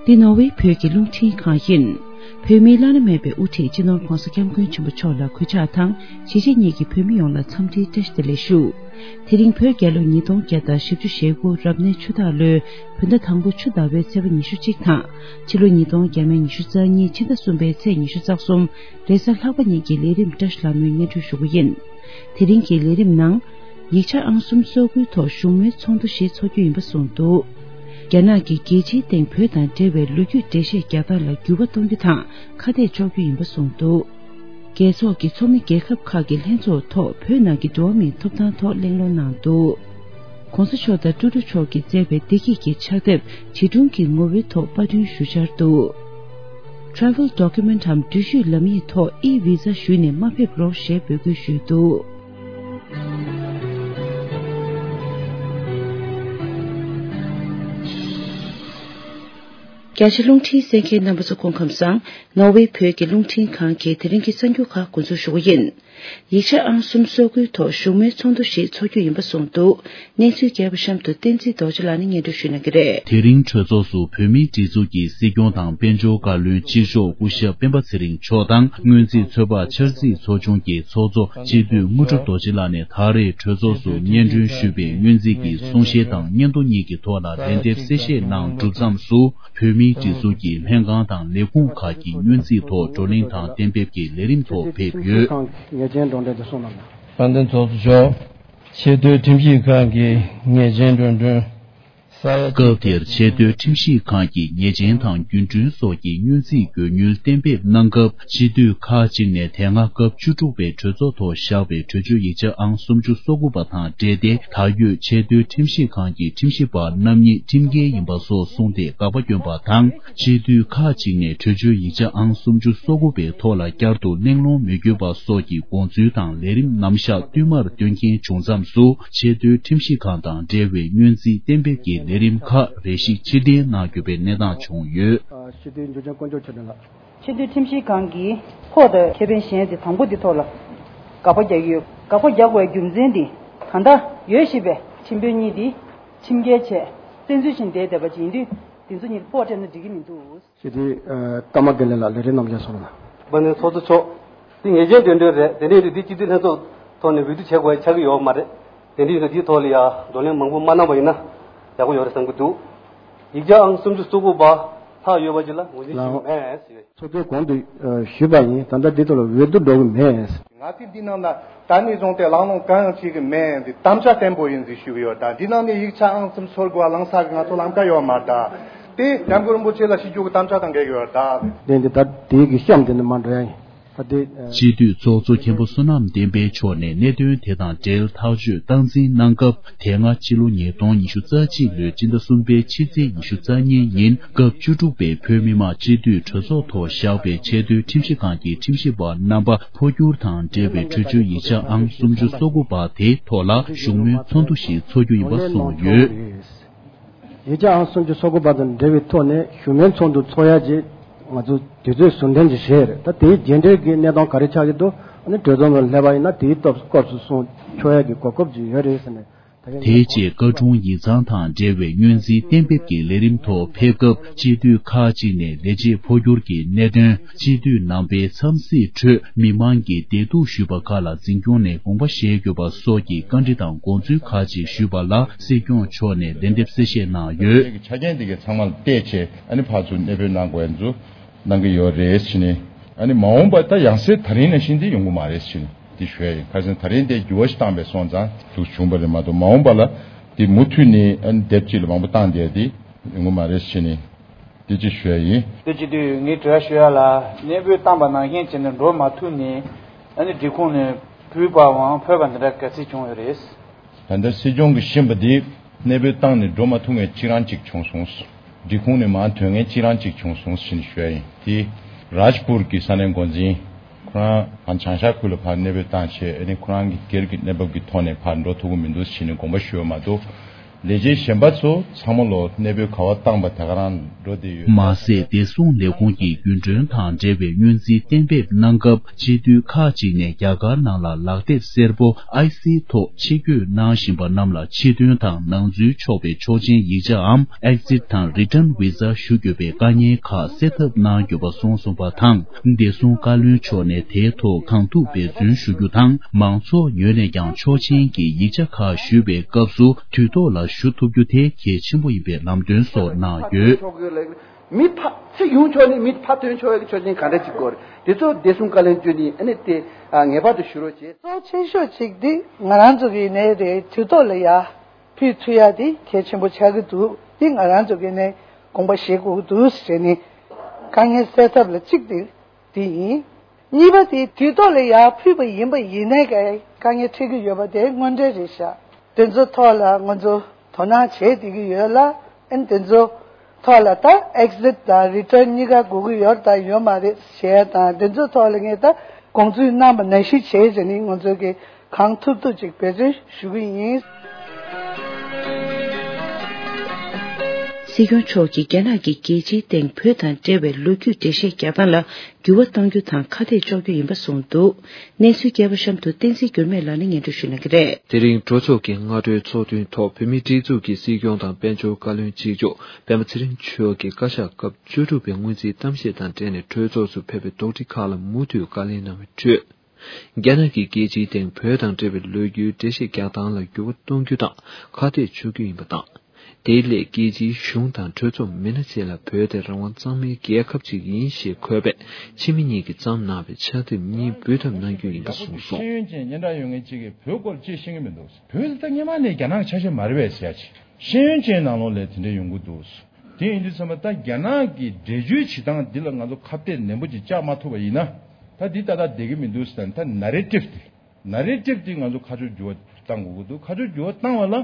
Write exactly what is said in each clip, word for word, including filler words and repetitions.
འདི་ནོར་ཝེ་བོད་ཀྱི་རླུང་འཕྲིན་ཁང་ཡིན། བོད་མིའི་བླ་ན་མེད་པའི་དབུ་ཁྲིད་སྤྱི་ནོར་༧གོང་ས་༧སྐྱབས་མགོན་ཆེན་པོ་མཆོག་ལ་གུས་ཕྱག་དང་གཞིས་བྱེས་གཉིས་ཀྱི་བོད་མི་ཡོངས་ལ་འཚམས་འདྲིའི་བཀྲ་ཤིས་བདེ་ལེགས་ཞུ། དེ་རིང་བོད་རྒྱལ་ལོ་ཉིས་སྟོང་བརྒྱ་དང་བཞི་བཅུ་ཞེ་དགུ་རབ་གནས་ཆུ་སྟག་ལོའི་བོད་ཟླ་དང་པོ་ཆུ་ཟླ་བའི་ཚེས་པ་ཉི་ཤུ་གཅིག་དང་ཕྱི་ལོ་ཉིས་སྟོང་བརྒྱ་མེད་ཉི་ཤུ་རྩ་གཉིས་ཕྱི་ཟླ་གསུམ་པའི་ཚེས་ཉི་ཤུ་རྩ་གསུམ་རེས་གཟའ་ལྷག་པ་ཉིན་གྱི་ལས་རིམ་བཀྲ་ཤིས་ལྷ་མོའི་སྙན་སྒྲོན་ཞུ་རྒྱུ་ཡིན། དེ་རིང་གི་ལས་རིམ་ནང་། ཡིག་ཆ་ཨང་སུམ་སོ་དགུའི་ཐོག་བཞུགས་མོལ་ཚོགས་འདུ་ཞིག་འཚོགས་རྒྱུ་ཡིན་པ་གསུངས་འདུག་རྒྱ་ནག་གིས་རྒྱལ་སྤྱིའི་སྟེང་བོད་དང་འབྲེལ་བའི་ལོ་རྒྱུས་འགྲེལ་བཤད་རྒྱག་སྟངས་ལ་འགྱུར་བ་གཏོང་རྒྱུ་དང་ཁ་གཏད་གཅོག་རྒྱུ་ཡིན་པ་གསུངས་འདུག་རྒྱལ་ཚོགས་ཀྱི་ཚོགས་མི་རྒྱལ་ཁབ་ཁག་གི་ལྷན་ཚོགས་ཐོག་བོད་ནང་གི་འགྲོ་བ་མིའི་ཐོབ་ཐང་ཐོག་གླེང་སློང་གནང་འདུག ྋགོང་ས་མཆོག་དང་ཀྲུའུ་ཀྲུའུ་མཆོག་གིས་མཛད་པའི་བདེ་སྐྱིད་ཀྱི་ཕྱག་དེབ་བྲིས་སྒྲུང་གི་ངོ་བོའི་ཐོག་པར་སྐྲུན་ཞུ་འཆར་འདུག Travel Document འམ་འགྲུལ་བཞུད་ལམ་ཡིག་ཐོག་ཨི་བི་ཛ་ཞུས་ནས་མ་ཕེབས་རོགས་ཞེས་འབོད་སྐུལ་ཞུས་འདུག་རྒྱ་ཆེ་རླུང་འཕྲིན་གསན་མཁན་རྣམ་པ་ཚོ་སྐུ་ཁམས་བཟང་། ནོར་ཝེ་བོད་ཀྱི་རླུང་འཕྲིན་ཁང་གིས་དེ་རིང་གི་གསར་འགྱུར་ཁག་འགོ་འཛུགས་ཞུ་གི་ཡིན། ཡིག་ཆ་ཨང་སུམ་སོ་དགུའི་ཐོག་བཞུགས་མོལ་ཚོགས་འདུ་ཞིག་འཚོགས་རྒྱུ་ཡིན་པ་གསུངས་འདུག་གནས་ཚུལ་རྒྱས་པ་གཤམ་དུ་བསྟན་འཛིན་རྡོ་རྗེ་ལགས་ནས་སྙན་སྒྲོན་ཞུ་གནང་གི་རེད། དེ་རིང་གྲོས་ཚོགས་སུ་བོད་མིའི་སྒྲིག་འཛུགས་ཀྱི་སྲིད་སྐྱོང་དང་དཔལ་འབྱོར་བཀའ་བློན་གཅིག་ལྕོགས་སྐུ་ཞབས་སྤེན་པ་ཚེ་རིང་མཆོག་དང་སྔོན་རྩིས་ཚོད་དཔག་འཆར་རྩིས་ཚོགས་ཆུང་གི་ཚོགས་གཙོ་སྤྱི་འཐུས་དངོས་གྲུབ་རྡོ་རྗེ་ལགས་ནས་ད་རེས་གྲོས་ཚོགས་སུ་སྙན་སྒྲོན་ཞུས་པའི་སྔོན་རྩིས་ཀྱི་གསུང་བཤད་དང་སྙན་ཐོ་གཉིས་ཀྱི་ཐོག་ལ་ལན་འདེབས་གསལ་བཤད་གནང་གྲུབ་མཚམས་སུ། བོད་མིའི་སྒྲིག་འཛུགས་ཀྱི་ལྷན་ཁང་དང་ལས་ཁུངས་ཁག་གི་སྔོན་རྩིས་ཐོག་བགྲོ་གླེང་དང་གཏན་འབེབས་ཀྱི་ལས་རིམ་ཐོག་ཕེབས་ཡོད། ཉེས་ཅན་སྒྲོག་འགྲེལ་དུ་གསུངས་གནང་། དཔལ་ལྡན་ཚོགས་གཙོ་མཆོག་ཆེས་མཐོའི་ཁྲིམས་ཞིབ་ཁང་གི་ཉེས་ཅན་འགྲོ་གྲོན་ས་ཡ། སྐབས་དེར་ཆེས་མཐོའི་ཁྲིམས་ཞིབ་ཁང་གི་ཉེས་ཅན་དང་རྒྱུན་གྲོན་སོགས་ཀྱི་སྔོན་རྩིས་དགོས་དངུལ་གཏན་འབེབས་གནང་སྐབས། སྤྱི་འཐུས་ཁག་ཅིག་ནས་དེ་སྔ་སྐབས་བཅུ་དྲུག་པའི་གྲོས་ཚོགས་ཐོག་བཞག་པའི་གྲོས་ཆོད་ཡིག་ཆ་ཨང་སུམ་ཅུ་སོ་དགུ་པ་དང་འབྲེལ་ཏེ། ད་ཡོད་ཆེས་མཐོའི་ཁྲིམས་ཞིབ་ཁང་གི་ཁྲིམས་ཞིབ་པ་རྣམ་གཉིས་ཁྲིམས་འགལ་ཡིན་པ་སོགས་གསུངས་ཏེ། དགག་པ་བསྐྱོན་པ་དང་། སྤྱི་འཐུས་ཁག་ཅིག་ནས་གྲོས་ཆོད་ཡིག་ཆ་ཨང་སུམ་ཅུ་སོ་དགུ་པའི་ཐོག་ལ་བསྐྱར་དུ་གླེང་སློང་མི་དགོས་པ་སོགས་ཀྱི་དགོངས་ཚུལ་དང་ལས་རིམ་རྣམ་གཞག་བསྟུད་མར་བཏོན་མཁན་བྱུང་མཚམས་སུ། ཆེས་མཐོའི་ཁྲིམས་ཞིབ་ཁང་དང་འབྲེལ་བའི་སྔོན་རྩིས་གཏན་འབེབས་ཀྱི་ལས་རིམ་ཁག་རེ་ཞིག་ཕྱིར་འཐེན་གནང་དགོས་པའི་གནས་སྟངས་བྱུང་ཡོད། སྤྱི་འཐུས་འཇུ་ཆེན་དཀོན་མཆོག་ཆོས་སྒྲོན་ལགས། ཆེས་མཐོའི་ཁྲིམས་ཞིབ་ཁང་གིས་ཕོགས་དང་ཁེ་ཕན་གཞན་དེ་དང་པོ་དེ་ཐོག་ལ་དགག་པ་རྒྱག་གི་ཡོད། དགག་པ་རྒྱག་དགོས་རྒྱུ་མཚན་དེ་ད་ལྟ་ཡོད་བཞིན་པའི་ཁྲིམས་དཔོན་གཉིས་དེ་ཁྲིམས་འགལ་བྱས་བཙན་འཛུལ་བྱས་བསྡད་བསྡད་པ་ཅིག་ཡིན་དུས། དེ་ཚོ་གཉིས་ཕོགས་སྤྲད་ན་འགྲིག་གི་མི་འདུག་སྤྱི་འཐུས་ཀརྨ་དགེ་ལེགས་ལགས་ལས་རིམ་རྣམས་ཀྱང་གསུངས་གནང་། དཔལ་ལྡན་ཚོགས་གཙོ་མཆོག་འདི་ཉེས་ཅན་འགྲོ་གྲོན་རེད། དེ་འདྲ་ཡིན་དུས་འདི་སྤྱི་འཐུས་ལྷན་ཚོགས་ཐོག་ནས་འོས་བསྡུ་བྱེད་དགོས་ཆགས་ཀྱི་ཡོད་མ་རེད། དེ་འདྲ་ཡིན་དུས་འདིའི་ཐོག་ལ་ཡང་བགྲོ་གླེང་མང་པོ་མ་གནང་བ་ཡིན་ན་ཡག་པོ་ཡོད་རེད་བསམ་གྱི་འདུག་ཡིག་ཆ་ཨང་སུམ་ཅུ་སོ་དགུ་པ་ལྷག་ཡོད་པ་ཅིག་ལ་ངོས་འཛིན་ཞུ་གི་མེད་ཟེར། ཚོགས་གཙོས་གོང་དུ་ཞུས་པ་ཡིན། ད་ལྟ་འདི་ཐོག་ལ་འོས་བསྡུ་འགྲོ་གི་མེད། ང་ཚོས་འདི་ནང་ལ་ད་ནས་བཟུང་སྟེ་གླེང་སློང་གང་ཡང་བྱེད་ཀྱི་མེད། འདི་དམ་བཅའ་བརྟན་པོ་ཡིན་ཟེར་ཞུ་གི་ཡོད། ད་འདི་ནང་ནས་ཡིག་ཆ་ཨང་སུམ་ཅུ་སོ་དགུ་པ་བླང་ས་གི་ང་ཚོ་ལམ་ཀ་ཡོད་མ་རེད། ད་དེ་སྐྱབས་མགོན་རིན་པོ་ཆེ་ལ་ཞུ་རྒྱུ་གི་དམ་བཅའ་དང་འགལ་གྱི་ཡོད་རེད་ད། དེ་འདི་ད་དེའི་གི་གཤམ་དེ་ནས་མར་འགྲོ་ཡ་ཡིན། ད་དེ་ཨ། སྤྱི་འཐུས་ཚོགས་གཙོ་མཁན་པོ་བསོད་ནམས་བསྟན་འཕེལ་མཆོག་ནས་གནད་དོན་དེ་དང་འབྲེལ་ཐག་གཅོད་སྟངས་འཛིན་གནང་སྐབས། དེ་སྔ་ཕྱི་ལོ་ཉིས་སྟོང་ཉི་ཤུ་རྩ་གཅིག་ལོའི་སྤྱི་ཟླ་གསུམ་པའི་ཕྱི་ཚེས་ཉི་ཤུ་རྩ་གཉིས་ཉིན་སྐབས་བཅུ་དྲུག་པའི་བོད་མི་མང་སྤྱི་འཐུས་གྲོས་ཚོགས་ཐོག་བཞག་པའི་ཆེས་མཐོའི་ཁྲིམས་ཞིབ་ཁང་གི་ཁྲིམས་ཞིབ་པ་རྣམ་པ་འཕོ་འགྱུར་དང་འབྲེལ་བའི་གྲོས་ཆོད་ཡིག་ཆ་ཨང་སུམ་ཅུ་སོ་དགུ་པ་དེའི་ཐོག་ལ་བཞུགས་མོལ་ཚོགས་འདུ་ཞིག་འཚོགས་རྒྱུ་ཡིན་པ་གསུངས་ཡོད། ཡིག་ཆ་ཨང་སུམ་ཅུ་སོ་དགུ་པ་དང་འབྲེལ་བའི་ཐོག་ནས་བཞུགས་མོལ་ཚོགས་འདུ་འཚོགས་ཡ་ཅིག་ང་ཚོ་དུས་ཚོད་ཟུར་འཐེན་ཅིག་བྱས་རེད། ད་དེའི་རྗེས་འབྲེལ་གྱི་གནས་སྟངས་ག་རེ་ཆགས་ཀྱི་འདུག་ཨ་ནི་གྲོས་ཚོགས་ནང་སླེབས་པ་ཡིན་ན་དེའི་སྐབས་སྐབས་སུ་གསུང་ཆོག་ཡ་གི་གོ་སྐབས་ཅིག་ཡོད་རེད་ཟེར་ནས། དེའི་རྗེས་བཀའ་དྲུང་ཡིག་ཚང་དང་འབྲེལ་བའི་སྔོན་རྩིས་གཏན་འབེབས་ཀྱི་ལས་རིམ་ཐོག་ཕེབས་སྐབས། སྤྱི་འཐུས་ཁག་ཅིག་ནས་ལས་བྱེད་འཕོ་འགྱུར་གྱི་གནད་དོན། སྤྱི་འཐུས་རྣམ་པའི་འཚམས་གཟིགས་ཁྲོད་མི་མང་གིས་བདེ་སྡུག་ཞུས་པ་ཁག་ལ་འཛིན་སྐྱོང་ནས་དགོངས་པ་བཞེས་དགོས་པ་སོགས་ཀྱི་བཀའ་འདྲི་དང་དགོངས་ཚུལ་ཁག་ཅིག་ཞུས་པ་ལ་སྲིད་སྐྱོང་མཆོག་ནས་ལན་འདེབས་གསལ་བཤད་གནང་ཡོད། ཆ་རྐྱེན་དེ་གའི་ཚང་མ་ལ་བལྟས་བྱས་ཨ་ནི་ཕར་ཚུར་གནས་སྤོས་གནང་དགོས་ཡ་ཚོ་གནང་གི་ཡོད་རེད་ཟེར་ནས། ཨ་ནི་མ་འོངས་པ་ད་ཡང་སེ་ད་རིང་ནང་བཞིན་དེ་ཡོང་གི་མ་རེད་ཟེར་ནས་དེ་ཞུ་ཡ་ཡིན། ཁ་སང་ད་རིང་དེ་འགྱུར་བ་ཞིག་བཏང་པའི་སོང་ཙང་འདུག་བྱུང་བ་རེད་མ་གཏོགས། མ་འོངས་པ་ལ་དེ་མུ་མཐུད་ནས་ཨ་ནི་དེབ་གཅིག་ལ་མང་པོ་བཏང་བསྡད་དེ་ཡོང་གི་མ་རེད་ཟེར་ནས། དེ་ཅིག་ཞུ་ཡ་ཡིན། དེ་བྱེད་དུས་ངས་དྲི་བ་ཞུ་ཡ་ལ། གནས་སྤོས་བཏང་པ་ནང་བཞིན་བྱས་ནས་འགྲོ་མ་ཐུབ་ནས་ཨ་ནི་སྒྲིག་ཁོངས་ནས་བུད་པའམ་འཕོས་པ་འདི་འདྲ་ག་ཚོད་བྱུང་ཡོད་རེད། ད་ལྟ་སྲིད་སྐྱོང་གིས་ཤེས་པ་དེ་གནས་སྤོས་བཏང་ནས་འགྲོ་མ་ཐུབ་མཁན་གཅིག་རང་གཅིག་བྱུང་སོང་། སྒྲིག་ཁོངས་ནས་མར་ཐོན་མཁན་གཅིག་རང་གཅིག་བྱུང་སོང་ཞེས་ཞུ་ཡ་ཡིན། དེ་རཱཇ་པུར་གྱི་ས་གནས་འགོ་འཛིན་ཁོ་རང་བྱང་ཤར་ཁུལ་ལ་ཕར་གནས་སྤོས་བཏང་བྱས་ཨ་ནི་ཁོ་རང་གི་སྒེར་གྱི་གནས་བབ་ཀྱི་ཐོག་ནས་ཕར་འགྲོ་ཐུབ་ཀྱི་མི་འདུག་ཞེས་ནས་དགོངས་པ་ཞུ་བ་མ་གཏོགས། ལས་བྱེད་གཞན་པ་ཚོ་ཚང་མ་ལོ་གནས་སྤོས་ག་བ་བཏང་པ་དེ་ག་རང་འགྲོ་བསྡད་ཡོད། མ་ཟད། བདེ་སྲུང་ལས་ཁུངས་ཀྱི་རྒྱུན་གྲོན་དང་འབྲེལ་བའི་སྔོན་རྩིས་གཏན་འབེབས་གནང་སྐབས། སྤྱི་འཐུས་ཁག་ཅིག་ནས་རྒྱ་གར་ནང་ལ་ལག་དེབ་སེར་པོ་ཨའི་སི་ཐོག་ཕྱིར་བསྐྱོད་གནང་བཞིན་པ་རྣམས་ལ་ཕྱིར་ཐོན་དང་ནང་འཛུལ་ཆོག་པའི་ཆོག་མཆན་ཡིག་ཆའམ། Exit དང་Return Visa ཞུ་དགོས་པའི་དཀའ་ངལ་ཁག་སེལ་ཐབས་གནང་དགོས་པ་གསུངས་སོང་བ་དང་། བདེ་སྲུང་བཀའ་བློན་མཆོག་ནས་དེའི་ཐོག་གང་ཐུབ་འབད་བརྩོན་ཞུ་རྒྱུ་དང་། མང་ཚོགས་ངོས་ནས་ཀྱང་ཆོག་མཆན་གྱི་ཡིག་ཆ་ཁག་ཞུ་བའི་སྐབས་སུ་དུས་ཐོག་ལ་ཞུ་ཐུབ་རྒྱུ་དེ་གལ་ཆེན་པོ་ཡིན་པའི་ལམ་སྟོན་སོགས་གནང་ཡོད། མི་ཕ་ཚེ་ཡོང་ཆོག་ནི་མི་ཕ་ཐོན་ཆོག་ཡག་གི་ཆོག་མཆན་ག་འདྲ་ཅིག་དགོས་རེད། དེ་ཚོ་བདེ་སྲུང་བཀའ་བློན་བརྒྱུད་ནས་ཨ་ནི་དེ་ཨ་ངེས་པར་དུ་ཞུ་རོགས་བྱེད། གཙོ་ཆེ་ཤོས་གཅིག་འདི་ང་རང་ཚོ་གི་ནས་རེད། དུས་ཐོག་ལ་ཡ་ཕུལ་ཐུབ་ཡ་དེ་གལ་ཆེན་པོ་ཆགས་ཀྱི་འདུག་འདི་ང་རང་ཚོ་གི་ནས་དགོངས་པ་བཞེས་དགོས་ཀྱི་འདུག་ཟེར་ནས་དཀའ་ངལ་སེལ་ཐབས་ལ་གཅིག་དེ་དེ་ཡིན། གཉིས་པ་དེ་དུས་ཐོག་ལ་ཡར་ཕུལ་བ་ཡིན་པ་ཡིན་ནའི་ག་དཀའ་ངལ་འཕྲད་ཀྱི་ཡོད་པ་དེ་དངོས་འབྲེལ་རེད་ཤག་དེ་ཚོ་ཐོག་ལ་ང་ཚོ་དོ་སྣང་བྱས་བསྡད་ཀྱི་ཡོད་ལ། ཨན་དེ་ཚོ་ཐོག་ལ་ད་Exit དང་Return གཉིས་ཀ་དགོས་ཀྱི་ཡོད་དང་ཡོད་མ་རེད་ཞེས་དང་། དེ་ཚོ་ཐོག་ལ་ངས་ད་དགོངས་ཚུལ་གནང་པ་ནང་བཞིན་བྱས་བྱས་ནས་ང་ཚོ་གི་གང་ཐུབ་ཐུབ་ཅིག་འབད་བརྩོན་ཞུ་གི་ཡིན། སྲིད་སྐྱོང་མཆོག་གིས་རྒྱ་ནག་གི་རྒྱལ་སྤྱིའི་སྟེང་བོད་དང་འབྲེལ་བའི་ལོ་རྒྱུས་འགྲེལ་བཤད་རྒྱག་སྟངས་ལ་འགྱུར་བ་གཏོང་རྒྱུ་དང་ཁ་གཏད་གཅོག་རྒྱུ་ཡིན་པ་གསུངས་འདུག་གནས་ཚུལ་རྒྱས་པ་གཤམ་དུ་བསྟན་འཛིན་འགྱུར་མེད་ལགས་ནས་སྙན་སྒྲོན་ཞུ་གནང་གི་རེད། དེ་རིང་གྲོས་ཚོགས་ཀྱི་སྔ་དྲོའི་ཚོགས་ཐུན་ཐོག་བོད་མིའི་སྒྲིག་འཛུགས་ཀྱི་སྲིད་སྐྱོང་དང་དཔལ་འབྱོར་བཀའ་བློན་གཅིག་ལྕོགས་སྤེན་པ་ཚེ་རིང་མཆོག་གིས་བཀའ་ཤག་སྐབས་བཅུ་དྲུག་པའི་སྔོན་རྩིས་གཏམ་བཤད་དང་འབྲེལ་ནས་གྲོས་ཚོགས་སུ་ཕེབས་པའི་དོགས་འདྲི་ཁག་ལ་མུ་མཐུད་བཀའ་ལན་གནང་བའི་ཁྲོད། རྒྱ་ནག་གིས་རྒྱལ་སྤྱིའི་སྟེང་བོད་དང་འབྲེལ་བའི་ལོ་རྒྱུས་འགྲེལ་བཤད་རྒྱག་སྟངས་ལ་འགྱུར་བ་གཏོང་རྒྱུ་དང་ཁ་གཏད་གཅོག་རྒྱུ་ཡིན་པ་དང་། དེའི་སླད་རྒྱལ་སྤྱིའི་གཞུང་དང་གྲོས་ཚོགས་མི་སྣ་བཅས་ལ་བོད་དེ་རང་དབང་གཙང་མའི་རྒྱལ་ཁབ་ཅིག་ཡིན་ཞེས་འཁོད་པའི་ཕྱི་མི་གཉིས་ཀྱིས་བརྩམས་གནང་བའི་ཕྱག་དེབ་གཉིས་འབུལ་ཐབས་གནང་རྒྱུ་ཡིན་པ་གསུངས་སོང་། ཤེས་ཡོན་ཅན་སྙན་གྲགས་ཡོད་མཁན་གཅིག་གིས་བོད་སྐོར་ཅིག་ཤེས་ཀྱི་མི་འདུག་བོད་ལ་ད་སྔོན་མ་ནས་རྒྱ་ནག་གི་ཆ་ཤས་མ་རེད་པས་ཟེར་ཡ་ཅིག་ཤེས་ཡོན་ཅན་ནང་ལོགས་ལ་དེ་འདྲ་ཡོང་གི་འདུག་དེ་ཡིན་དུས་ཙམ་པ་ད་རྒྱ་ནག་གི་འགྲེལ་བརྗོད་བྱེད་སྟངས་འདི་ལ་ང་ཚོ་ཁ་གཏད་ནན་པོ་ཅིག་བཅག་མ་ཐུབ་པ་ཡིན་ན། ད་འདི་ཏག་ཏག་བསྡད་ཀྱི་མི་འདུག་ཟེར་ད་ད་Narrative དེ། Narrative དེ་ང་ཚོ་ཁ་ཕྱོགས་འགྱུར་བ་བཏང་དགོས་ཀྱི་འདུག་ཁ་ཕྱོགས་འགྱུར་བ་བཏང་བ་ལ་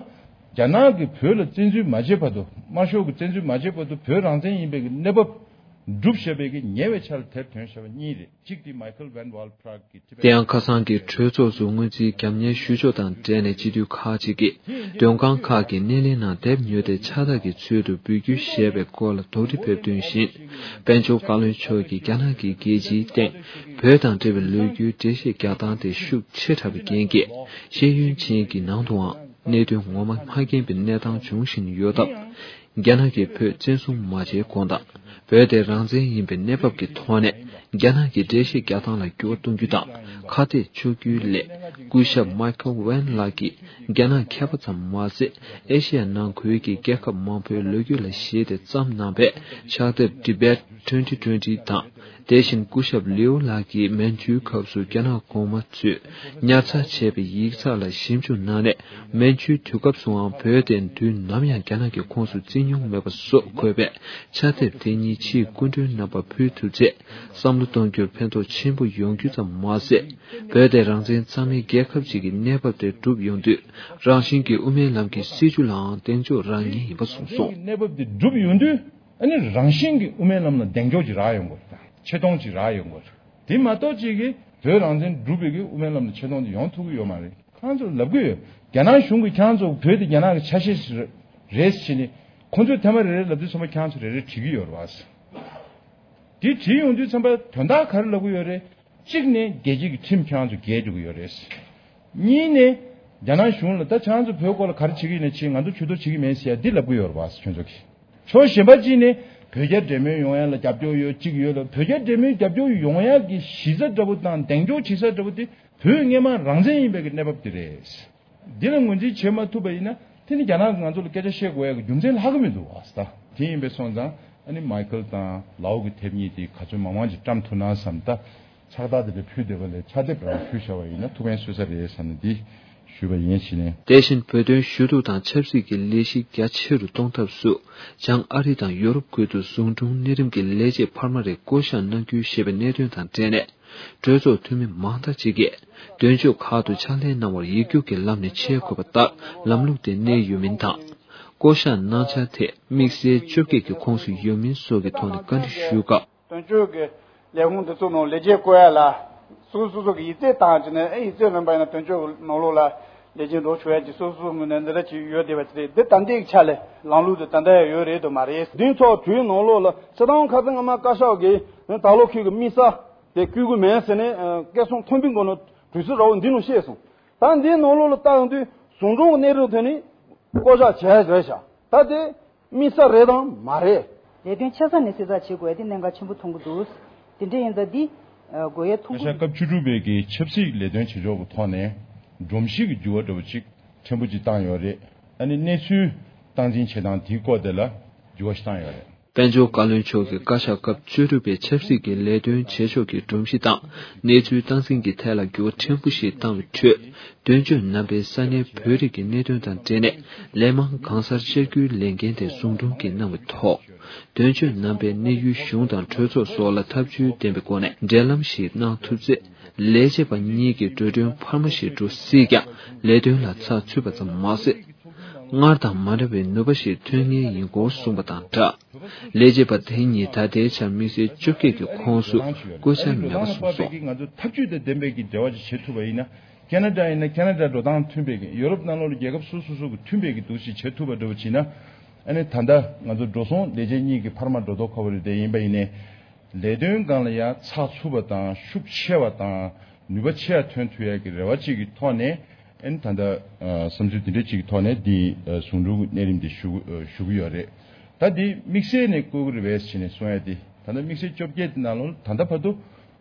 རྒྱ་ནག་གིས་བོད་ལ་བཙན་འཛུལ་མ་བྱས་བར་དུ། དམར་ཤོག་གིས་བཙན་འཛུལ་མ་བྱས་བར་དུ་བོད་རང་བཙན་ཡིན་པའི་གི་གནས་བབ་སྒྲུབ་བཞག་པའི་གི་ཉེ་བའི་ཆར་དེབ་ཐོན་བཞག་པ་གཉིས་རེད། གཅིག་དེ་Michael Van Wall Prague གི་དེ་ཡང་ཁ་སང་གི་གྲོས་ཚོགས་སུ་སྔོན་རྩིས་རྒྱབ་གཉེར་ཞུ་ཕྱོགས་དང་འབྲེལ་ནས་སྤྱི་འཐུས་ཁག་ཅིག་གིས་མགྲོན་ཁང་ཁག་གི་སྣེ་ལེན་ནང་དེབ་ཉོས་ཏེ་ཕྱག་རྟགས་ཀྱི་ཚུལ་དུ་འབུལ་རྒྱུ་ཞེས་པའི་སྐོར་ལ་དོགས་འདྲི་ཕེབས་དོན་བཞིན། དཔལ་འབྱོར་བཀའ་བློན་མཆོག་གིས་རྒྱ་ནག་གིས་རྒྱལ་སྤྱིའི་སྟེང་བོད་དང་འབྲེལ་བའི་ལོ་རྒྱུས་འགྲེལ་བཤད་རྒྱག་སྟངས་དེ་ཤུགས་ཆེ་དྲགས་པའི་རྐྱེན་གྱིས། ཤེས་ཡོན་ཅན་གྱི་ནང་དུའང་གནད་དོན་ངོ་མ་མ་མཁྱེན་པའི་གནས་སྟངས་འབྱུང་བཞིན་ཡོད་སྟབས། རྒྱ་ནག་གིས་བོད་བཙན་བཟུང་མ་བྱས་གོང་དང་། བོད་དེ་རང་བཙན་ཡིན་པའི་གནས་བབ་ཀྱི་ཐོག་ནས། རྒྱ་ནག་གི་འགྲེལ་བཤད་རྒྱག་སྟངས་ལ་འགྱུར་བ་གཏོང་རྒྱུ་དང་ཁ་གཏད་གཅོག་རྒྱུའི་སླད། སྐུ་ཞབས་Michael Van ལགས་ཀྱིས་རྒྱ་ནག་མཁས་པ་ཙམ་མ་ཟད། ཨེ་ཤི་ཡ་ནང་ཁུལ་གྱི་རྒྱལ་ཁབ་མང་པོའི་ལོ་རྒྱུས་ལ་གཞིགས་ཏེ་བརྩམས་གནང་བའི་ཕྱག་དེབ་Tibet twenty twenty དང་། དེ་བཞིན་སྐུ་ཞབས་ལིའུ་ལགས་ཀྱིས་མན་ཇུའི་སྐབས་སུ་རྒྱ་ནག་གོང་མ་ཚོས་ཉར་ཚགས་བྱས་པའི་ཡིག་ཚགས་ལ་ཞིབ་འཇུག་གནང་ནས། མན་ཇུའི་དུས་སྐབས་སུའང་བོད་དེ་དུས་ནམ་ཡང་རྒྱ་ནག་གི་ཁོངས་སུ་བརྩི་མྱོང་མེད་པ་སོགས་འཁོད་པའི་ཕྱག་དེབ་དེ་གཉིས་ཕྱིའི་སྐུ་མགྲོན་རྣམ་པར་ཕུལ་ཐུབ་ཚེ། བསམ་བློ་གཏོང་རྒྱུར་ཕན་ཐོགས་ཆེན་པོ་ཡོང་རྒྱུ་ཙམ་མ་ཟད། བོད་དེ་རང་བཙན་གཙང་མའི་རྒྱལ་ཁབ་ཅིག་གི་གནས་བབ་དེ་བསྒྲུབས་ཡོང་དུས། རང་བཞིན་གྱིས་དབུ་མའི་ལམ་གྱི་སྲིད་བྱུས་ལའང་གདེང་འཇོག་རག་ངེས་ཡིན་པ་གསུངས་སོང་། གནས་བབ་དེ་བསྒྲུབས་ཡོང་དུས། ཨ་ནི་རང་བཞིན་གྱིས་དབུ་མའི་ལམ་ལ་གདེང་འཇོག་ཅིག་རག་ཡོང་དགོས་རེད། ཆེ་མཐོང་ཅིག་རག་ཡོང་དགོས་རེད། དེ་མ་གཏོགས་ཅིག་གིས་བོད་རང་བཙན་བསྒྲུབས་པའི་གི་དབུ་མའི་ལམ་ལ་ཆེ་མཐོང་དེ་ཡོང་ཐུབ་ཀྱི་ཡོད་མ་རེད། ཁོང་ཚོར་ལབ་ཀྱི་ཡོད། རྒྱ་ནག་གཞུང་གིས་ཁྱེད་རང་ཚོ་བོད་དེ་རྒྱ་ནག་གི་ཆ་ཤས་ཤིག་རེད་ཟེར་ནས། ཁོང་ཚོས་ཐེངས་མ་རེ་རེ་ལབ་དུས་ཚང་མ་ཁྱེད་རང་ཚོ་རེ་རེ་བྲིས་ཀྱི་ཡོད་རེད་བ། དེ་བྲིས་ཡོང་དུས་ཙམ་པ་དོན་དག་ག་རེ་ལབ་ཀྱི་ཡོད་རེད། གཅིག་ནས་རྒྱལ་སྤྱི་གི་ཁྲིམས་ཁྱེད་རང་ཚོ་འགལ་འགྲོ་གི་ཡོད་རེད། གཉིས་ནས་རྒྱ་ནག་གཞུང་ལ་ད་ཁྱེད་རང་ཚོ་བོད་སྐོར་ལ་ག་རེ་བྱེད་ཀྱི་ཡིན་ན་བྱེད། ང་ཚོ་ཇུས་གཏོགས་བྱེད་ཀྱི་མེད་ཟེར་ཡ་འདི་ལབ་ཀྱི་ཡོད་རེད་བ། ཁྱོད་ཚོ་གིས། ཕྱོགས་གཞན་པ་གཅིག་ནས་བོད་རྒྱ་འབྲེལ་མོལ་ཡོང་ཡ་ལ་རྒྱབ་སྐྱོར་ཡོད་གཅིག་ཡོད་ལ། བོད་རྒྱ་འབྲེལ་མོལ་རྒྱབ་སྐྱོར་ཡོང་ཡ་གི་གཞི་རྩ་འདྲ་པོ་དང་གདེང་འཇོག་བྱེད་ས་འདྲ་པོ་དེ་བོད་སྔོན་མ་རང་བཙན་ཡིན་པའི་གི་གནས་བབ་དེ་རེད། འདི་ལ་ངོས་འཛིན་བྱེད་མ་ཐུབ་པ་ཡིན་ན། དེ་ནི་རྒྱ་ནག་གིས་ང་ཚོ་ལ་སྐད་ཆ་བཤད་དགོས་ཡ་གི་རྒྱུ་མཚན་ལྷག་གི་མི་འདུག་བ། ད་དེ་ཡིན་པས་སོང་ཙང་། ཨ་ནི་མའི་ཁལ་དང་ལའོ་གི་དེབ་གཉིས་དེ་ག་ཚོད་མང་མང་ཅིག་བཀྲམ་ཐུབ་ན་བསམ། ད་ཕྱག་རྟགས་དེ་འདྲ་ཕུལ་བསྡད་པ་ལས་ཕྱག་དེབ་རང་ཕུལ་བཞག་པ་ཡིན་ན་ཐུགས་ཕན་གསོས་ས་རེད་བསམ་ནས་འདི་ཞུས་པ་ཡིན་ཞེས་ནས། དེ་བཞིན་བོད་དོན་ཞུ་གཏུག་དང་ཆབ་སྲིད་ཀྱི་ལས་གཞི་རྒྱ་ཆེ་རུ་གཏོང་ཐབས་སུ། བྱང་ཨ་རི་དང་ཡོ་རོབ་ཁུལ་དུ་ཟུང་དྲུང་གནས་རིམ་གྱི་ལས་བྱེད་འཕར་མ་རེ་བསྐོ་གཞག་གནང་རྒྱུ་ཞེས་པའི་གནད་དོན་དང་འབྲེལ་ནས། གྲོས་ཚོགས་འཐུས་མི་མང་དག་ཅིག་གིས་དོན་གཅོད་ཁག་ཏུ་ཕྱག་ལས་གནང་བར་ཡིག་རྒྱུགས་ཀྱི་ལམ་ནས་ཆས་དགོས་པ་ལྟར་ལམ་ལུགས་དེ་གནས་ཡོད་མིན་དང་། བསྐོ་གཞག་གནང་འཆར་དེ་དམིགས་བསལ་བཅོ་བརྒྱད་ཀྱི་ཁོངས་སུ་ཡོད་མིན་སོགས་ཀྱི་ཐོག་ནས་བཀའ་འདྲི་ཞུས་སྐབས། དོན་གཅོད་ཀྱི་ལས་ཁུངས་འདི་ཚོ་ནང་ལས་བྱེད་བསྐོ་ཡ་ལ་སོ་སོ་སོ་གི་ཡིག་ཚད་བཏང་བྱས་ནས། ཨེ་ཡིག་ཚད་ལོན་པ་ཡིན་ན་དོན་གཅོད་ཀྱི་ནང་ལོགས་ལ་ དེ་བཞིན་འགྲོ་ཆོག་ཡ་གྱི་སོ་སོ་སོ་ངོས་ནས་འདི་འདྲ་ཅིག་ཡོད་བསྡད་པ་ཅིག་རེད། འདི་ད་ལྟའི་ཆ་ལས་ལམ་ལུགས་དེ་ད་ལྟ་ཡང་ཡོད་རེད་དོ་མ་རེད། འདི་ཚོ་གྲོས་ནང་ལོགས་ལ་སྤྱིར་བཏང་ཁ་སང་སྔ་མ་བཀའ་ཤག་གིས་ད་ལོ་ཁུལ་གྱི་དམིགས་བསལ་དེ་བསྐྱོད་ཀྱི་མེད་ཟེར་ནས་ཨ་སྐད་གསང་མཐོན་པོའི་སྒོ་ནས་གྲོས་ཚུལ་ར་བ་འདི་ནང་བཤད་སོང་། ད་འདིའི་ནང་ལོགས་ལ་ལྟ་ཡོང་དུས་ཟུང་དྲུང་གི་གནས་རིམ་ཐོན་ནས་བསྐོ་བཞག་བྱས་རེད་ཤག་ད་དེ་དམིགས་བསལ་རེད་དང་མ་རེད། ལས་དོན་ཆེ་ས་ནས་གསལ་བསྒྲགས་བྱེད་དགོས་ཡ་དེ་གནད་འགག་ཆེན་པོ་མཐོང་གི་འདུག་དེ་འདྲ་ཡིན་ཙང་འདི་དགོས་ཡ་ཐུགས་བཀའ་ཤག་སྐབས་བཅུ་དྲུག་པའི་གི་ཆབ་སྲིད་ལས་དོན་བྱེད་ཕྱོགས་ཀྱི་ཐོག་ནས་སྒྲོམ་གཞི་གི་འགྱུར་བ་འདྲ་བོ་ཅིག་ཕྲན་བུ་ཅིག་བཏང་ཡོད་རེད། ཨ་ནི་གནས་ཚུལ་སྟངས་འཛིན་བྱེད་སྟངས་དེའི་སྐོར་དེ་ལ་འགྱུར་བ་ཞིག་བཏང་ཡོད་རེད། དཔལ་འབྱོར་བཀའ་བློན་མཆོག་གིས་བཀའ་ཤག་སྐབས་བཅུ་དྲུག་པའི་ཆབ་སྲིད་ཀྱི་ལས་དོན་བྱེད་ཕྱོགས་ཀྱི་སྒྲོམ་གཞི་དང་གནས་ཚུལ་སྟངས་འཛིན་གྱི་ཐད་ལ་འགྱུར་བ་ཕྲན་བུ་ཞིག་བཏང་བའི་ཁྲོད། དོན་གཅོད་རྣམ་པས་ས་གནས་བོད་རིགས་ཀྱི་གནད་དོན་དང་འབྲེལ་ནས་ལས་མང་གང་སར་བཅར་རྒྱུའི་ལས་འགན་དེ་ཟུང་དྲུང་གིས་གནང་བའི་ཐོག་དོན་གཅོད་རྣམ་པས་གནས་ཡུལ་གཞུང་དང་གྲོས་ཚོགས་སོགས་ལ་ཐབས་ཇུས་ལྡན་པའི་སྒོ་ནས་འབྲེལ་ལམ་ཞིག་གནང་ཐུབ་ཚེ། ལས་བྱེད་པ་གཉིས་ཀྱི་འགྲོ་གྲོན་འཕར་མ་ཞིག་འགྲོ་སྲིད་ཀྱང་ལས་དོན་ལ་ཚགས་ཚུད་པ་ཙམ་མ་ཟད། སྔར་དང་མ་འདྲ་བའི་ནུས་པ་ཞིག་ཐོན་ངེས་ཡིན་སྐོར་གསུངས་པ་དང་སྦྲགས། ལས་བྱེད་པ་དེ་གཉིས་ད་ལྟའི་ཆར་དམིགས་བསལ་བཅོ་བརྒྱད་ཀྱི་ཁོངས་སུ་བཀོད་འཆར་མེད་པ་གསུངས་སོང་། ང་ཚོ་འཐབ་ཇུས་དང་ལྡན་པའི་གི་འབྲེལ་བ་ཅིག་བྱེད་ཐུབ་པ་ཡིན་ན། ཁེ་ན་ཌ་ཡིན་ན་ཁེ་ན་ཌ་འགྲོ་སྟངས་མཐུན་པའི་གི་ཡོ་རོབ་ནང་ལོགས་ལ་རྒྱལ་ཁབ་སོ་སོ་སོ་གི་མཐུན་པའི་གི་འདུག་ཞིག་བྱེད་ཐུབ་པ་འདྲ་བོ་བྱས་ན། ཨ་ནི་ད་ལྟ་ང་ཚོ་འགྲོ་སོང་ལས་བྱེད་གཉིས་ཀྱི་འཕར་མ་འགྲོ་ལྡོག་ཁ་བ་རེད་དེ་ཡིན་པ་ཡིན་ནའི། ལས་དོན་སྒང་ལ་ཡང་ཚགས་ཚུད་པ་དང་ཤུགས་ཆེ་བ་དང་ནུས་པ་ཆེ་བ་ཐོན་ཐུབ་ཡ་གི་རེ་བ་གཅིག་གི་ཐོག་ནས་ཨ་ནི་ད་ལྟ་བསམ་ཚུལ་འདི་འདྲ་གཅིག་གི་ཐོག་ནས་འདི་ཟུང་དྲུང་གི་གནས་རིམ་འདི་ཞུ་ཞུ་གི་ཡོད་རེད། ད་འདི་དམིགས་བསལ་ནས་བསྐོ་གི་རེད་པས་ཟེར་ནས་གསུང་ཡ་འདི་ད་ལྟ་དམིགས་བསལ་བཅོ་བརྒྱད་འདི་ནང་ལོགས་ད་ལྟ་བར་དུ་